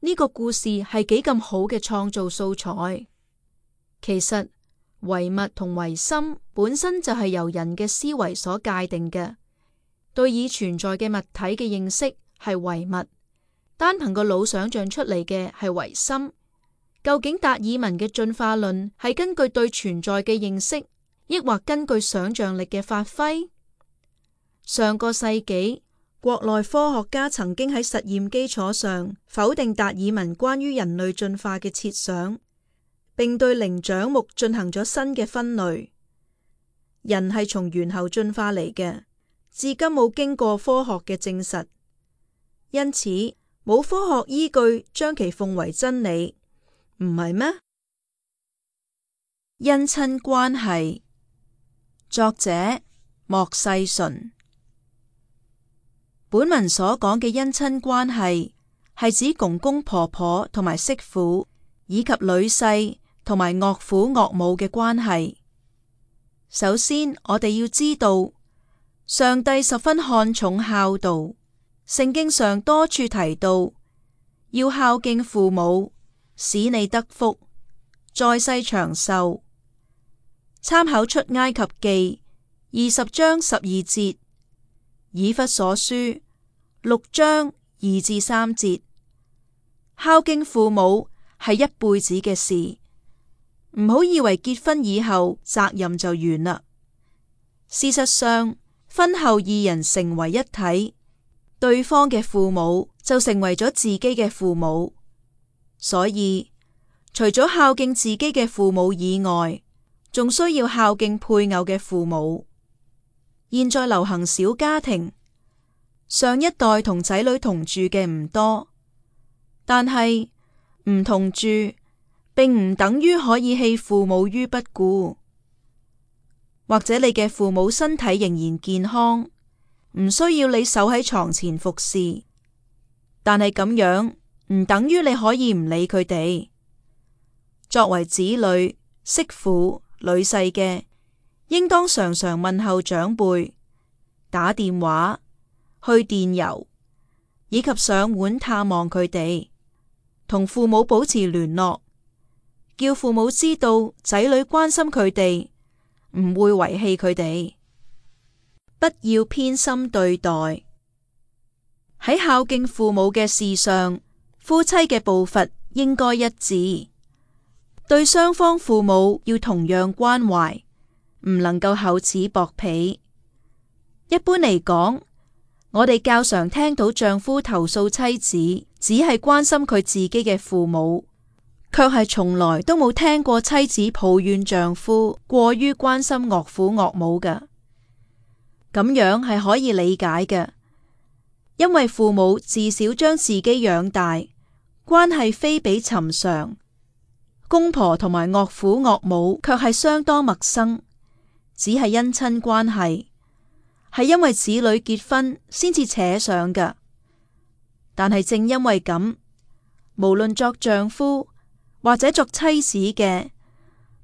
呢個故事係幾咁好嘅創造素材。其實唯物同唯心本身就係由人嘅思維所界定嘅，對已存在嘅物體嘅認識係唯物，單憑個腦想象出嚟嘅係唯心。究竟達爾文嘅進化論係根據對存在嘅認識，抑或根據想象力嘅發揮？上個世紀，國內科學家曾經喺實驗基礎上否定達爾文關於人類進化嘅設想，並對靈長目進行咗新嘅分類。人係從猿猴進化嚟嘅，至今冇經過科學嘅證實，因此冇科學依據將其奉為真理，唔係咩？姻親關係，作者莫世純。本文所講嘅姻親關係係指公公婆婆同埋媳婦，以及女婿同埋岳父岳母嘅關係。首先，我哋要知道，上帝十分看重孝道，聖經上多處提到要孝敬父母，使你得福，在世長壽。參考出埃及記20章12節，以弗所書6章2至3節。孝敬父母係一輩子嘅事，唔好以為結婚以後責任就完啦。事實上，婚後二人成為一體，對方嘅父母就成為咗自己嘅父母。所以，除咗孝敬自己嘅父母以外，仲需要孝敬配偶嘅父母。現在流行小家庭，上一代同仔女同住嘅唔多，但係唔同住並唔等於可以棄父母於不顧。或者你嘅父母身體仍然健康，唔需要你守喺床前服侍，但係咁樣唔等於你可以唔理佢哋。作為子女、媳婦、女婿嘅，應當常常問候長輩，打電話、去電郵，以及上門探望佢哋，同父母保持聯絡，叫父母知道仔女關心佢哋，唔會遺棄佢哋。不要偏心對待。喺孝敬父母嘅事上，夫妻嘅步伐應該一致，對雙方父母要同樣關懷，唔能夠厚此薄彼。一般嚟講，我哋較常聽到丈夫投訴妻子只係關心佢自己嘅父母，卻係從來都冇聽過妻子抱怨丈夫過於關心岳父岳母嘅。咁樣係可以理解嘅，因為父母自小將自己養大，關係非比尋常。公婆同埋岳父岳母卻係相當陌生，只係姻親關係。係因為子女結婚先至扯上㗎。但係正因為咁，無論作丈夫或者作妻子嘅，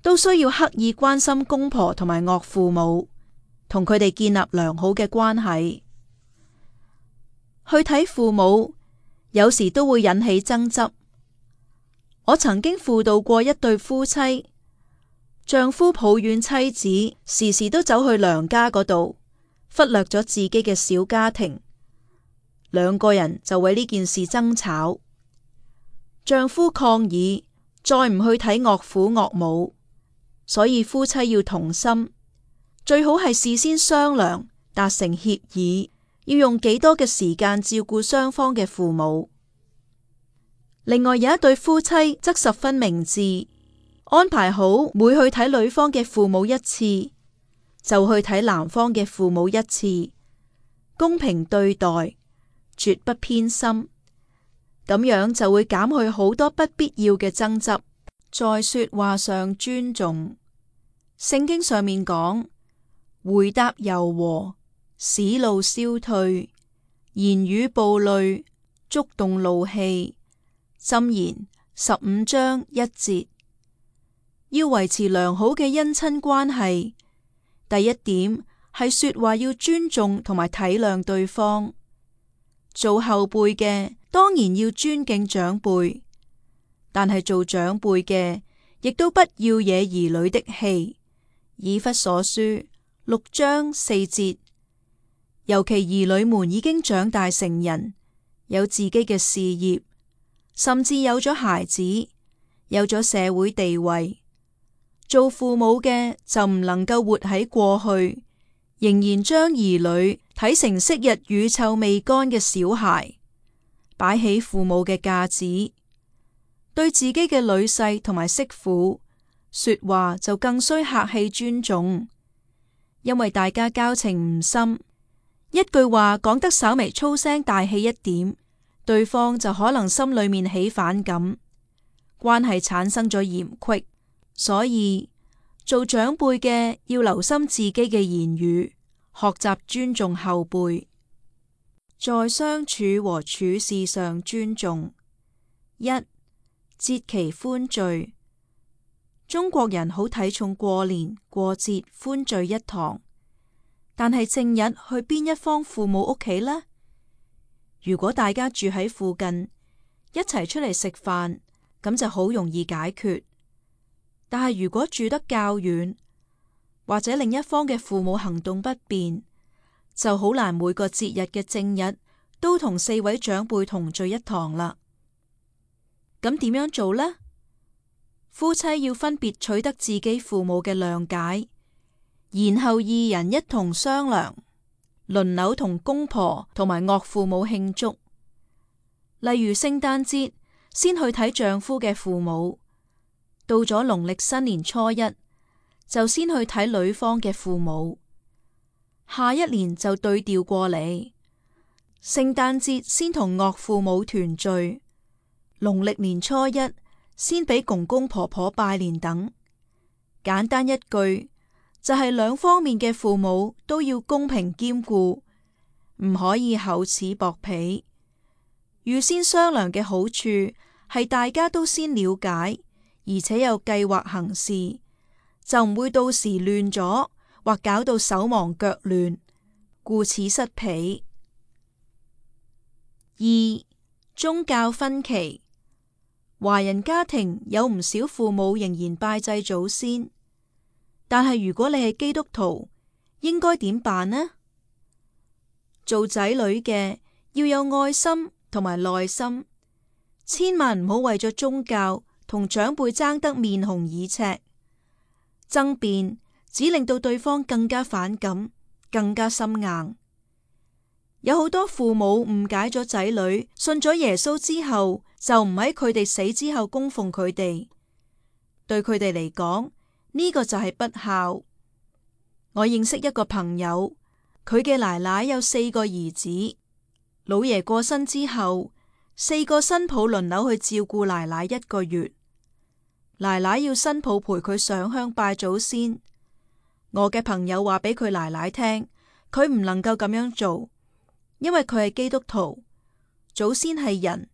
都需要刻意關心公婆同埋岳父母，同佢哋建立良好嘅關係。去睇父母，有時都會引起爭執。我曾經輔導過一對夫妻，丈夫抱怨妻子時時都走去娘家嗰度，忽略咗自己嘅小家庭。兩個人就為呢件事爭吵。丈夫抗議再唔去睇岳父岳母，所以夫妻要同心，最好係事先商量，達成協議，要用幾多嘅時間照顧雙方嘅父母。另外有一對夫妻則十分明智，安排好每去睇女方嘅父母一次，就去睇男方嘅父母一次，公平對待，絕不偏心，咁樣就會減去好多不必要嘅爭執。在說話上尊重，聖經上面講，回答柔和，使怒消退，言語暴戾，觸動怒氣。箴言15章1節。要維持良好嘅姻親關係，第一點係說話要尊重同埋體諒對方。做後輩嘅當然要尊敬長輩，但係做長輩嘅亦都不要惹兒女的氣。以弗所書6章4節。尤其兒女們已經長大成人，有自己嘅事業，甚至有咗孩子，有咗社會地位，做父母嘅就唔能夠活喺過去，仍然將兒女睇成昔日乳臭未乾嘅小孩，擺起父母嘅架子。對自己嘅女婿同埋媳婦說話就更需客氣尊重，因為大家交情唔深，一句話講得稍微粗聲大氣一點，對方就可能心裏面起反感，關係產生咗嫌隙。所以做長輩嘅要留心自己嘅言語，學習尊重後輩。在相處和處事上尊重。一、節期歡聚。中國人好睇重過年過節歡聚一堂，但係正日去邊一方父母屋企呢？如果大家住喺附近，一齊出嚟食飯，咁就好容易解決。但係如果住得較遠，或者另一方嘅父母行動不便，就好難每個節日嘅正日都同4位長輩同聚一堂啦。咁點樣做呢？夫妻要分別取得自己父母嘅諒解，然後二人一同商量，輪流同公婆同埋岳父母慶祝。例如聖誕節，先去睇丈夫嘅父母；到咗農曆新年初一，就先去睇女方嘅父母。下一年就對調過嚟，聖誕節先同岳父母團聚，農曆年初一先俾公公婆婆拜年等。簡單一句，就係兩方面嘅父母都要公平兼顧，唔可以厚此薄彼。預先商量嘅好處係大家都先了解，而且有計劃行事，就唔會到時亂咗，或搞到手忙腳亂，顧此失彼。二、宗教分歧。華人家庭有唔少父母仍然拜祭祖先，但係如果你係基督徒，應該點辦呢？做仔女嘅要有愛心同埋耐心，千萬唔好為咗宗教同長輩爭得面紅耳赤，爭辯只令到對方更加反感，更加心硬。有好多父母誤解咗仔女信咗耶穌之後，就唔喺佢哋死之後供奉佢哋，對佢哋嚟講，呢個就係不孝。我認識一個朋友，佢嘅奶奶有4個兒子，老爺過身之後，4個新抱輪流去照顧奶奶1個月，奶奶要新抱陪佢上香拜祖先。我嘅朋友話俾佢奶奶聽，佢唔能夠咁樣做，因為佢係基督徒，祖先係人，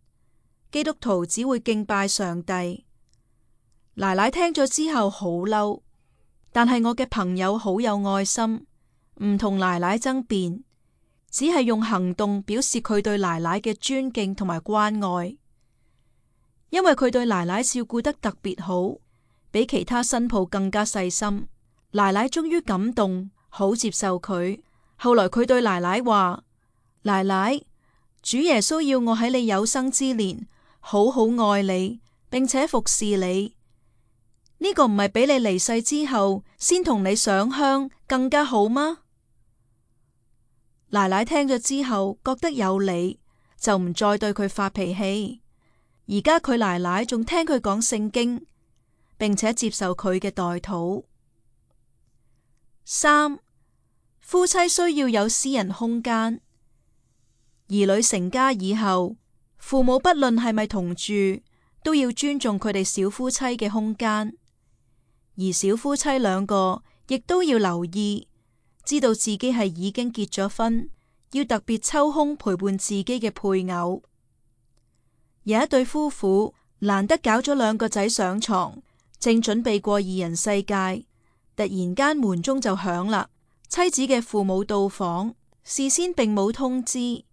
基督徒只會敬拜上帝。奶奶聽咗之後好嬲，但係我嘅朋友好有愛心，唔同奶奶爭辯，只係用行動表示佢對奶奶嘅尊敬同埋關愛。因為佢對奶奶照顧得特別好，比其他新抱更加細心。奶奶終於感動，好接受佢。後來佢對奶奶話：奶奶，主耶穌要我喺你有生之年好好愛你，並且服侍你。呢個唔係比你離世之後先同你上香更加好嗎？奶奶聽咗之後覺得有理，就唔再對佢發脾氣。而家佢奶奶仲聽佢講聖經，並且接受佢嘅代禱。3. 夫妻需要有私人空間。兒女成家以後，父母不論係咪同住，都要尊重佢哋小夫妻嘅空間。而小夫妻兩個亦都要留意，知道自己係已經結咗婚，要特別抽空陪伴自己嘅配偶。有一對夫婦難得搞咗2個仔上床，正準備過二人世界，突然間門鐘就響啦。妻子嘅父母到訪，事先並冇通知，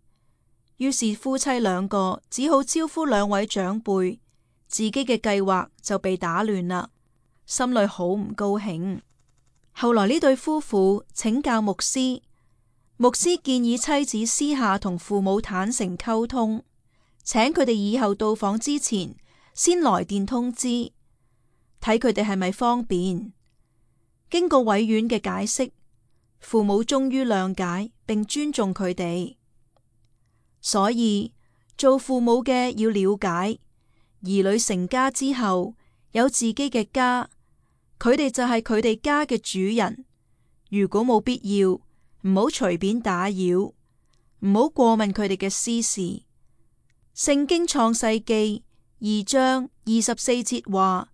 於是夫妻兩個只好招呼2位長輩，自己嘅計劃就被打亂啦，心裏好唔高興。後來呢對夫婦請教牧師，牧師建議妻子私下同父母坦誠溝通，請佢哋以後到訪之前先來電通知，睇佢哋係咪方便。經過委婉嘅解釋，父母終於諒解並尊重佢哋。所以做父母嘅要了解，兒女成家之後有自己嘅家，佢哋就係佢哋家嘅主人。如果冇必要，唔好隨便打擾，唔好過問佢哋嘅私事。聖經創世記2章24節話：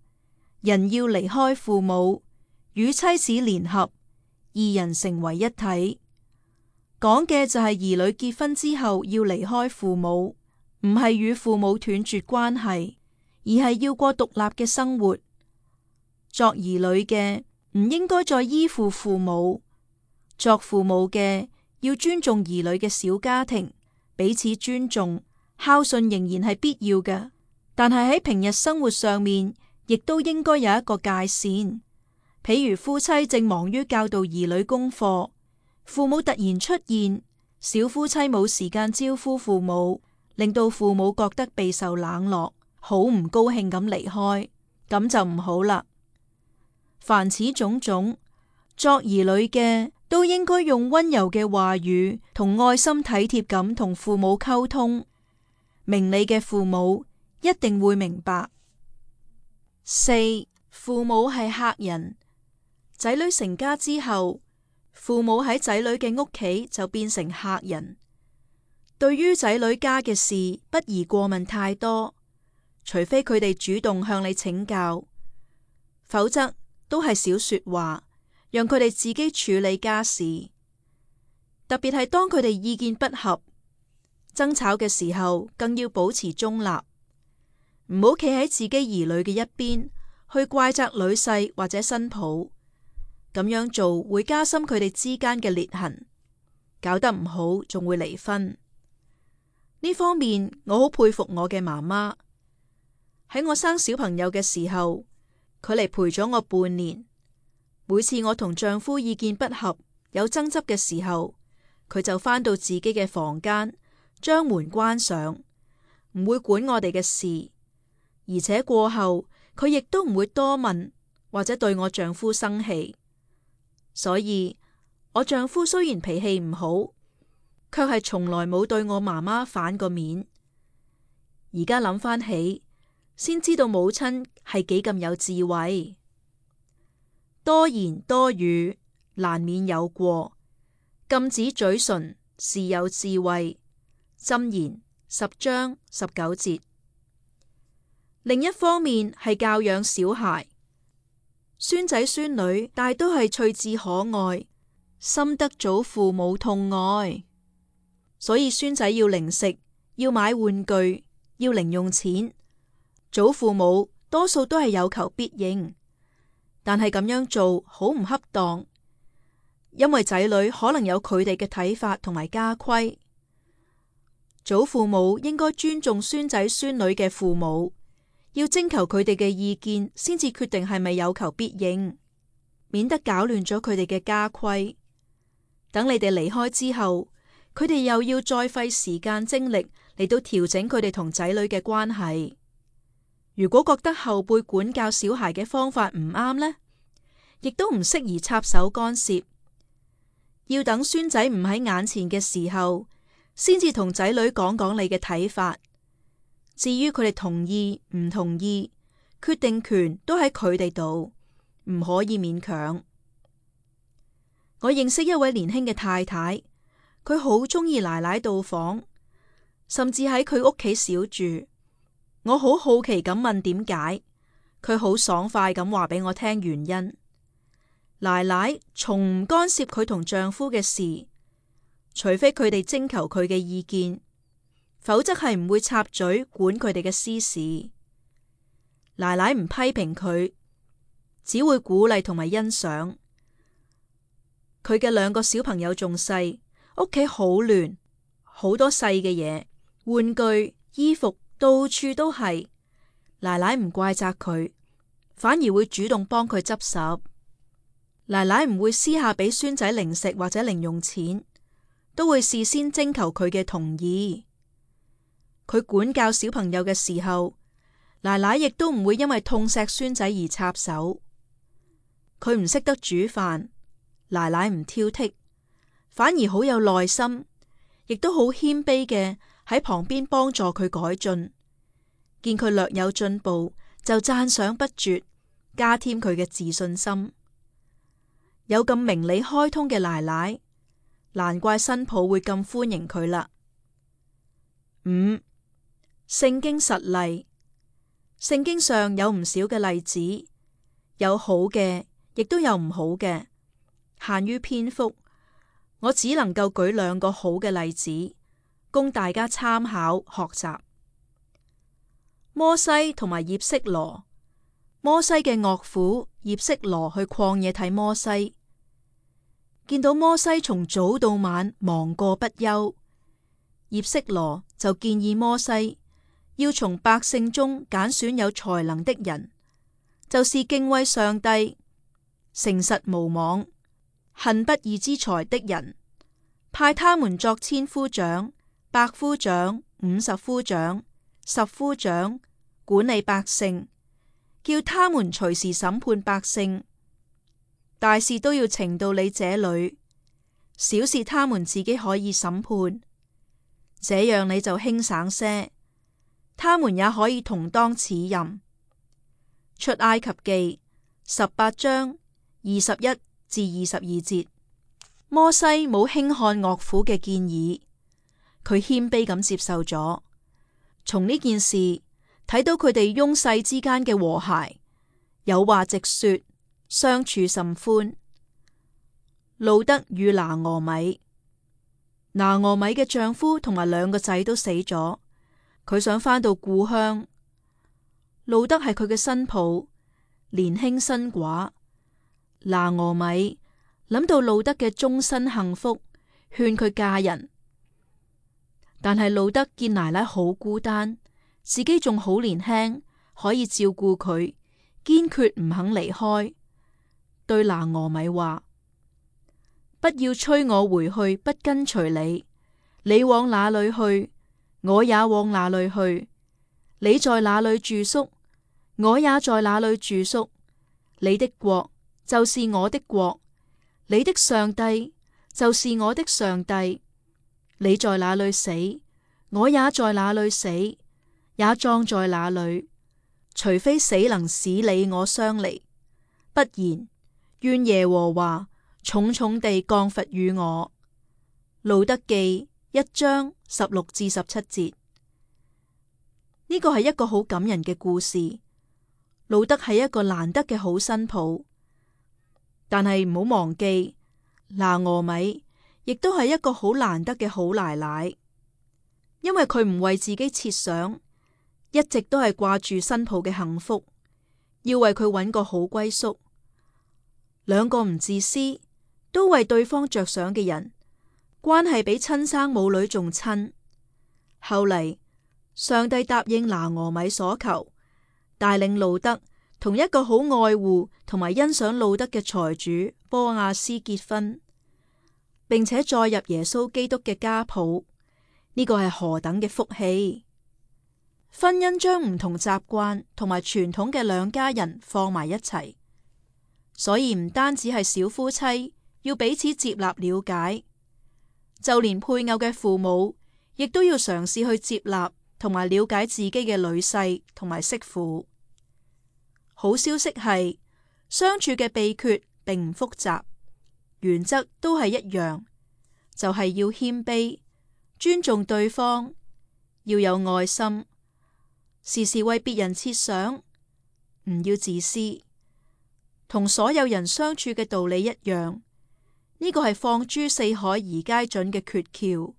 人要離開父母，與妻子聯合，2人成為一體。講嘅就係兒女結婚之後要離開父母，唔係與父母斷絕關係，而係要過獨立嘅生活。作兒女嘅唔應該再依附父母，作父母嘅要尊重兒女嘅小家庭，彼此尊重。孝順仍然係必要嘅，但係喺平日生活上面，亦都應該有一個界線。譬如夫妻正忙於教導兒女功課，父母突然出現，小夫妻冇時間招呼父母，令到父母覺得備受冷落，好唔高興咁離開，咁就唔好啦。凡此種種，作兒女嘅都應該用溫柔嘅話語同愛心體貼咁同父母溝通。明理嘅父母一定會明白。4. 父母係客人。仔女成家之後，父母喺仔女嘅屋企就變成客人。對於仔女家嘅事，不宜過問太多，除非佢哋主動向你請教，否則都係少說話，讓佢哋自己處理家事。特別係當佢哋意見不合、爭吵嘅時候，更要保持中立，唔好企喺自己兒女嘅一邊，去怪責女婿或者新抱。咁樣做會加深佢哋之間嘅裂痕，搞得唔好仲會離婚。呢方面我好佩服我嘅媽媽。喺我生小朋友嘅時候，佢嚟陪咗我半年。每次我同丈夫意見不合、有爭執嘅時候，佢就返到自己嘅房間，將門關上，唔會管我哋嘅事，而且過後佢亦都唔會多問或者對我丈夫生氣。所以我丈夫雖然脾氣唔好，卻係從來冇對我媽媽反過面。而家諗返起，先知道母親係幾咁有智慧。多言多語，難免有過，禁止嘴唇是有智慧。箴言10章19節。另一方面係教養小孩，孫仔孫女大都係趣致可愛，深得祖父母痛愛，所以孫仔要零食，要買玩具，要零用錢，祖父母多數都係有求必應，但係咁樣做好唔恰當，因為仔女可能有佢哋嘅睇法同埋家規。祖父母應該尊重孫仔孫女嘅父母，要徵求佢哋嘅意見，先至決定係咪有求必應，免得搞亂咗佢哋嘅家規。等你哋離開之後，佢哋又要再費時間精力嚟到調整佢哋同仔女嘅關係。如果覺得後輩管教小孩嘅方法唔啱呢，亦都唔適宜插手干涉，要等孫仔唔喺眼前嘅時候，先至同仔女講講你嘅睇法。至於佢哋同意唔同意，決定權都喺佢哋度，唔可以勉強。我認識一位年輕嘅太太，佢好鍾意奶奶到訪，甚至喺佢屋企小住。我好好奇咁問點解，佢好爽快咁話俾我聽原因。奶奶從唔干涉佢同丈夫嘅事，除非佢哋徵求佢嘅意見，否則係唔會插嘴管佢哋嘅私事。奶奶唔批評佢，只會鼓勵同埋欣賞。佢嘅兩個小朋友仲細，屋企好亂，好多細嘅嘢，玩具、衣服到處都係。奶奶唔怪責佢，反而會主動幫佢執拾。奶奶唔會私下俾孫仔零食或者零用錢，都會事先徵求佢嘅同意。佢管教小朋友嘅時候，奶奶亦都唔會因為痛錫孫仔而插手。佢唔識得煮飯，奶奶唔挑剔，反而好有耐心，亦都好謙卑嘅喺旁邊幫助佢改進。見佢略有進步，就讚賞不絕，加添佢嘅自信心。有咁明理開通嘅奶奶，難怪新抱會咁歡迎佢啦。5. 聖經實例。聖經上有唔少嘅例子，有好嘅，亦都有唔好嘅。限於篇幅，我只能夠舉2個好嘅例子，供大家參考學習。摩西同埋葉色羅。摩西嘅岳父葉色羅去曠野睇摩西，見到摩西從早到晚忙過不休，葉色羅就建議摩西要從百姓中揀選有才能的人，就是敬畏上帝、誠實無妄、恨不義之財的人，派他們作千夫長、百夫長、50夫長、10夫長，管理百姓，叫他們隨時審判百姓。大事都要呈到你這裏，小事他們自己可以審判，這樣你就輕省些，他們也可以同當此任。出埃及記18章21至22節。摩西冇輕看岳父嘅建議，佢謙卑咁接受咗。從呢件事睇到佢哋翁婿之間嘅和諧，有話直說，相處甚歡。路得與拿俄米。拿俄米嘅丈夫同埋2個仔都死咗，佢想返到故鄉。路得係佢嘅新抱，年輕新寡。拿俄米諗到路德嘅終身幸福，勸佢嫁人。但係路德見奶奶好孤單，自己仲好年輕，可以照顧佢，堅決唔肯離開。對拿俄米話：不要催我回去，不跟隨你。你往哪裏去，我也往哪裏去；你在哪裏住宿，我也在哪裏住宿。你的國就是我的國，你的上帝就是我的上帝。你在哪裏死，我也在哪裏死，也葬在哪裏。除非死能使你我相離，不然，願耶和華重重地降罰與我。路得記1章16至17節。呢個係一個好感人嘅故事。路得係一個難得嘅好新抱，但係唔好忘記，拿俄米亦都係一個好難得嘅好奶奶，因為佢唔為自己設想，一直都係掛住新抱嘅幸福，要為佢揾個好歸宿。兩個唔自私，都為對方着想嘅人，關係比親生母女仲親。後嚟上帝答應拿俄米所求，帶領路德同一個好愛護同埋欣賞路德嘅財主波亞斯結婚，並且載入耶穌基督嘅家譜。呢個係何等嘅福氣！婚姻將唔同習慣同埋傳統嘅兩家人放埋一齊，所以唔單止係小夫妻要彼此接納了解，就連配偶嘅父母亦都要嘗試去接納同埋了解自己嘅女婿同埋媳婦。好消息係，相處嘅秘訣並唔複雜，原則都係一樣，就係要謙卑，尊重對方，要有愛心，時時為別人設想，唔要自私。同所有人相處嘅道理一樣，呢個係放諸四海而皆準嘅訣竅。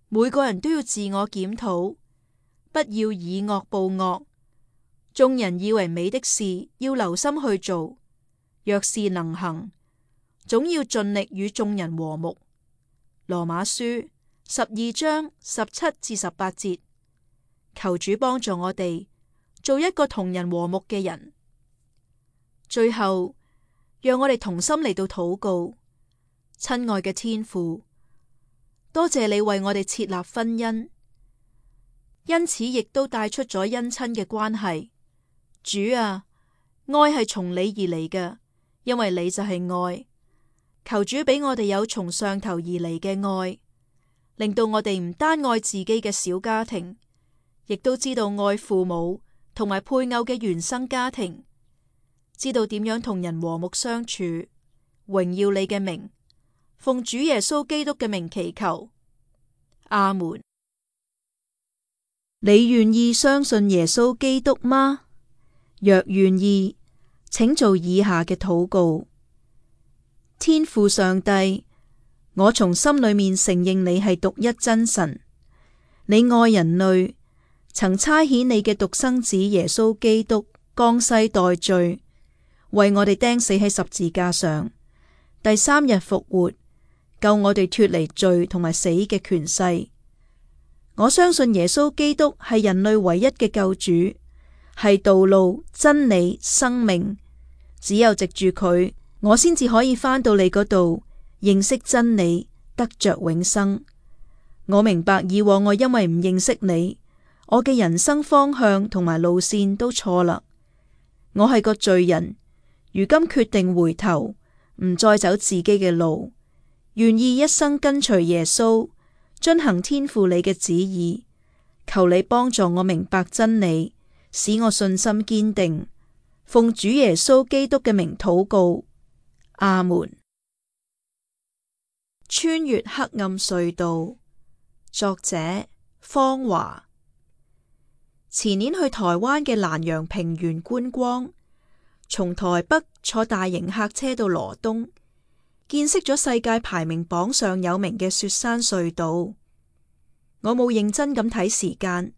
每個人都要自我檢討，不要以惡報惡。眾人以為美的事，要留心去做，若是能行，總要盡力與眾人和睦。羅馬書12章17至18節，求主幫助我哋做一個同人和睦嘅人。最後，讓我哋同心嚟到禱告。親愛嘅天父，多謝你為我哋設立婚姻，因此亦都帶出咗姻親嘅關係。主啊，愛係從你而嚟嘅，因為你就係愛。求主俾我哋有從上頭而嚟嘅愛，令到我哋唔單愛自己嘅小家庭，亦都知道愛父母同埋配偶嘅原生家庭，知道點樣同人和睦相處。榮耀你嘅名，奉主耶穌基督嘅名祈求，阿門。你願意相信耶穌基督嗎？若願意，請做以下嘅禱告。天父上帝，我從心裏面承認你係獨一真神，你愛人類，曾差遣你嘅獨生子耶穌基督降世代罪，為我哋釘死喺十字架上，第3日復活，救我哋脫離罪同埋死嘅權勢。我相信耶穌基督係人類唯一嘅救主，係道路、真理、生命。只有藉住佢，我先至可以返到你嗰度，認識真理，得着永生。我明白以往我因為唔認識你，我嘅人生方向同埋路線都錯啦。我係個罪人，如今決定回頭，唔再走自己嘅路，願意一生跟隨耶穌，遵行天父你嘅旨意。求你幫助我明白真理，使我信心堅定。奉主耶穌基督嘅名禱告，阿門。穿越黑暗隧道，作者方華。前年去台灣嘅蘭陽平原觀光，從台北坐大型客車到羅東，見識咗世界排名榜上有名嘅雪山隧道。我冇認真咁睇時間，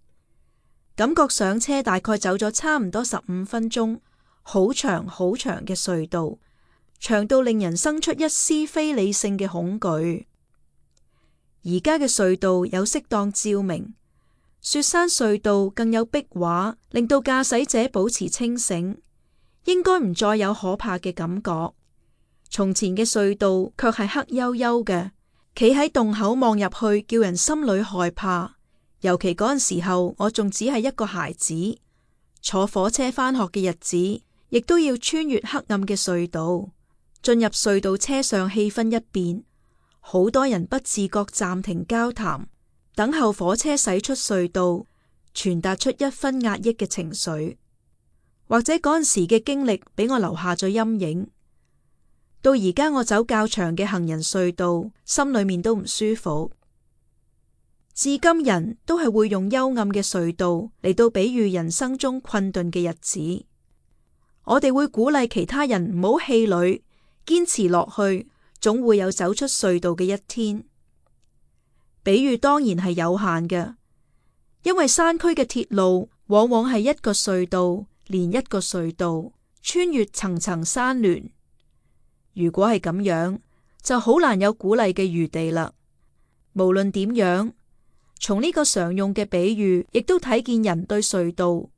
感覺上車大概走咗差唔多15分鐘，好長好長嘅隧道，長到令人生出一絲非理性嘅恐懼。而家嘅隧道有適當照明，雪山隧道更有壁畫，令到駕駛者保持清醒，應該唔再有可怕嘅感覺。從前嘅隧道卻係黑幽幽嘅，企喺洞口望入去，叫人心裏害怕。尤其嗰陣時候，我仲只係一個孩子，坐火車返學嘅日子，亦都要穿越黑暗嘅隧道。進入隧道車上，氣氛一變，好多人不自覺暫停交談，等候火車駛出隧道，傳達出一分壓抑嘅情緒。或者嗰陣時嘅經歷俾我留下咗陰影。到而家我走較長嘅行人隧道，心裏面都唔舒服。至今人都係會用幽暗嘅隧道嚟到比喻人生中困頓嘅日子。我哋會鼓勵其他人唔好氣餒，堅持落去，總會有走出隧道嘅一天。比喻當然係有限嘅，因為山區嘅鐵路往往係一個隧道連一個隧道，穿越層層山巒。如果係咁樣，就好難有鼓勵嘅餘地啦。無論點樣，從呢個常用嘅比喻，亦都睇見人對隧道，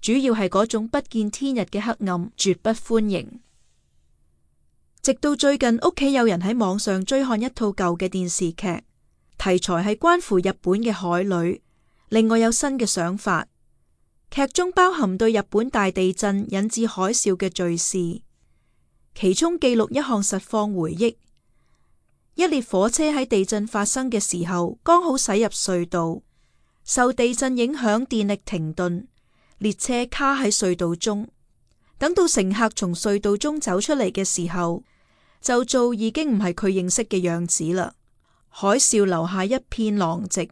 主要係嗰種不見天日嘅黑暗，絕不歡迎。直到最近，屋企有人喺網上追看一套舊嘅電視劇，題材係關乎日本嘅海女，令我有新嘅想法。劇中包含對日本大地震引致海嘯嘅敘事，其中記錄一項實況回憶：一列火車喺地震發生嘅時候，剛好駛入隧道，受地震影響，電力停頓，列車卡喺隧道中。等到乘客從隧道中走出嚟嘅時候，就做已經唔係佢認識嘅樣子啦。海嘯留下一片狼藉。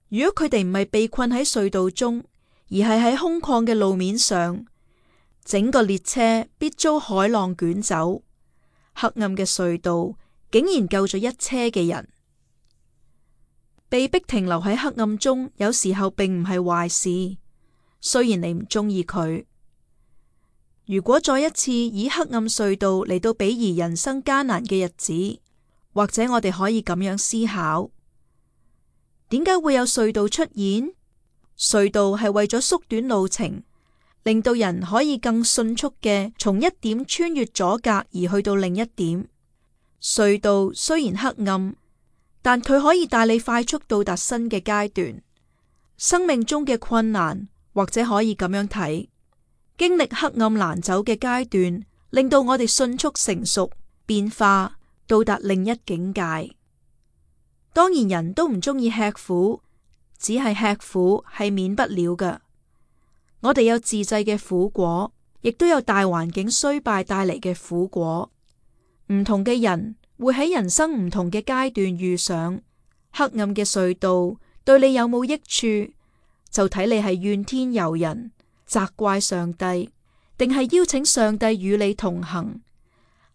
如果佢哋唔係被困喺隧道中，而係喺空曠嘅路面上，整個列車必遭海浪捲走。黑暗嘅隧道竟然救咗一車嘅人。被逼停留喺黑暗中，有時候並唔係壞事，雖然你唔中意佢。如果再一次以黑暗隧道嚟到比擬人生艱難嘅日子，或者我哋可以咁樣思考：點解會有隧道出現？隧道係為咗縮短路程，令到人可以更迅速嘅從一點穿越阻隔而去到另一點。隧道雖然黑暗，但佢可以帶你快速到達新嘅階段。生命中嘅困難，或者可以咁樣睇，經歷黑暗難走嘅階段，令到我哋迅速成熟、變化，到達另一境界。當然人都唔中意吃苦，只係吃苦係免不了嘅。我哋有自製嘅苦果，亦都有大環境衰敗帶嚟嘅苦果。唔同嘅人會喺人生唔同嘅階段遇上黑暗嘅隧道，對你有冇益處，就睇你係怨天尤人，責怪上帝，定係邀請上帝與你同行，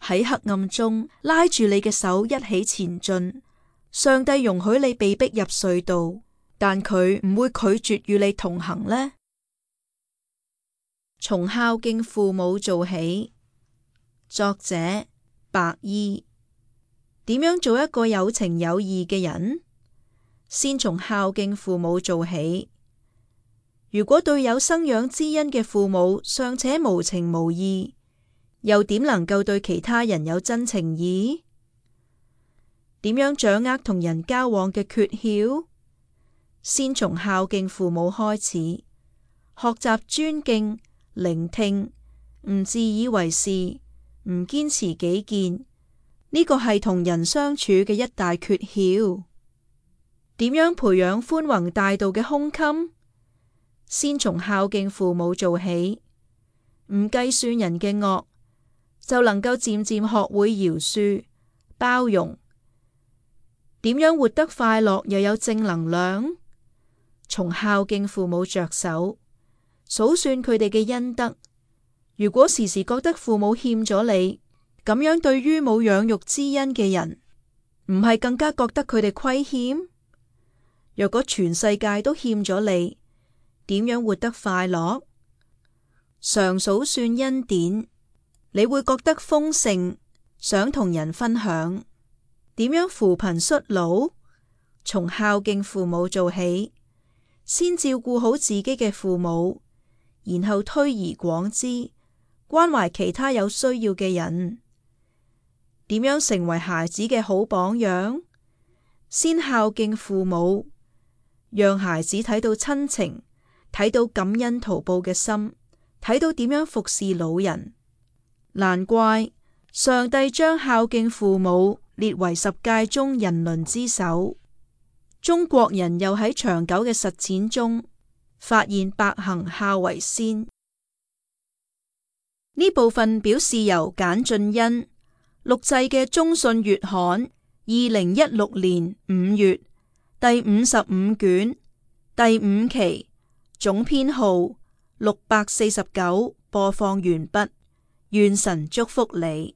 喺黑暗中拉住你嘅手一起前進。上帝容許你被逼入隧道，但佢唔會拒絕與你同行呢？從孝敬父母做起。作者白衣。點樣做一個有情有義嘅人？先從孝敬父母做起。如果對有生養之恩嘅父母尚且無情無義，又點能夠對其他人有真情義？點樣掌握同人交往嘅訣竅？先從孝敬父母開始，學習尊敬、聆聽，唔自以為是，唔堅持己見。呢個係同人相處嘅一大訣竅。點樣培養寬宏大度嘅胸襟？先從孝敬父母做起，唔計算人嘅惡，就能夠漸漸學會饒恕、包容。點樣活得快樂又有正能量？從孝敬父母着手，數算佢哋嘅恩德。如果時時覺得父母欠咗你，咁樣對於冇養育之恩嘅人，唔係更加覺得佢哋虧欠？若果全世界都欠咗你，點樣活得快樂？常數算恩典，你會覺得豐盛，想同人分享。點樣扶貧恤老？從孝敬父母做起，先照顧好自己嘅父母，然後推而廣之，關懷其他有需要嘅人。點樣成為孩子嘅好榜樣？先孝敬父母，讓孩子睇到親情，睇到感恩圖報嘅心，睇到點樣服侍老人。難怪上帝將孝敬父母列為10誡中人倫之首。中國人又喺長久嘅實踐中發現百行孝為先。呢部分表示由簡俊恩錄製嘅中信月刊2016年5月第55卷第5期總編號649播放完畢。願神祝福你。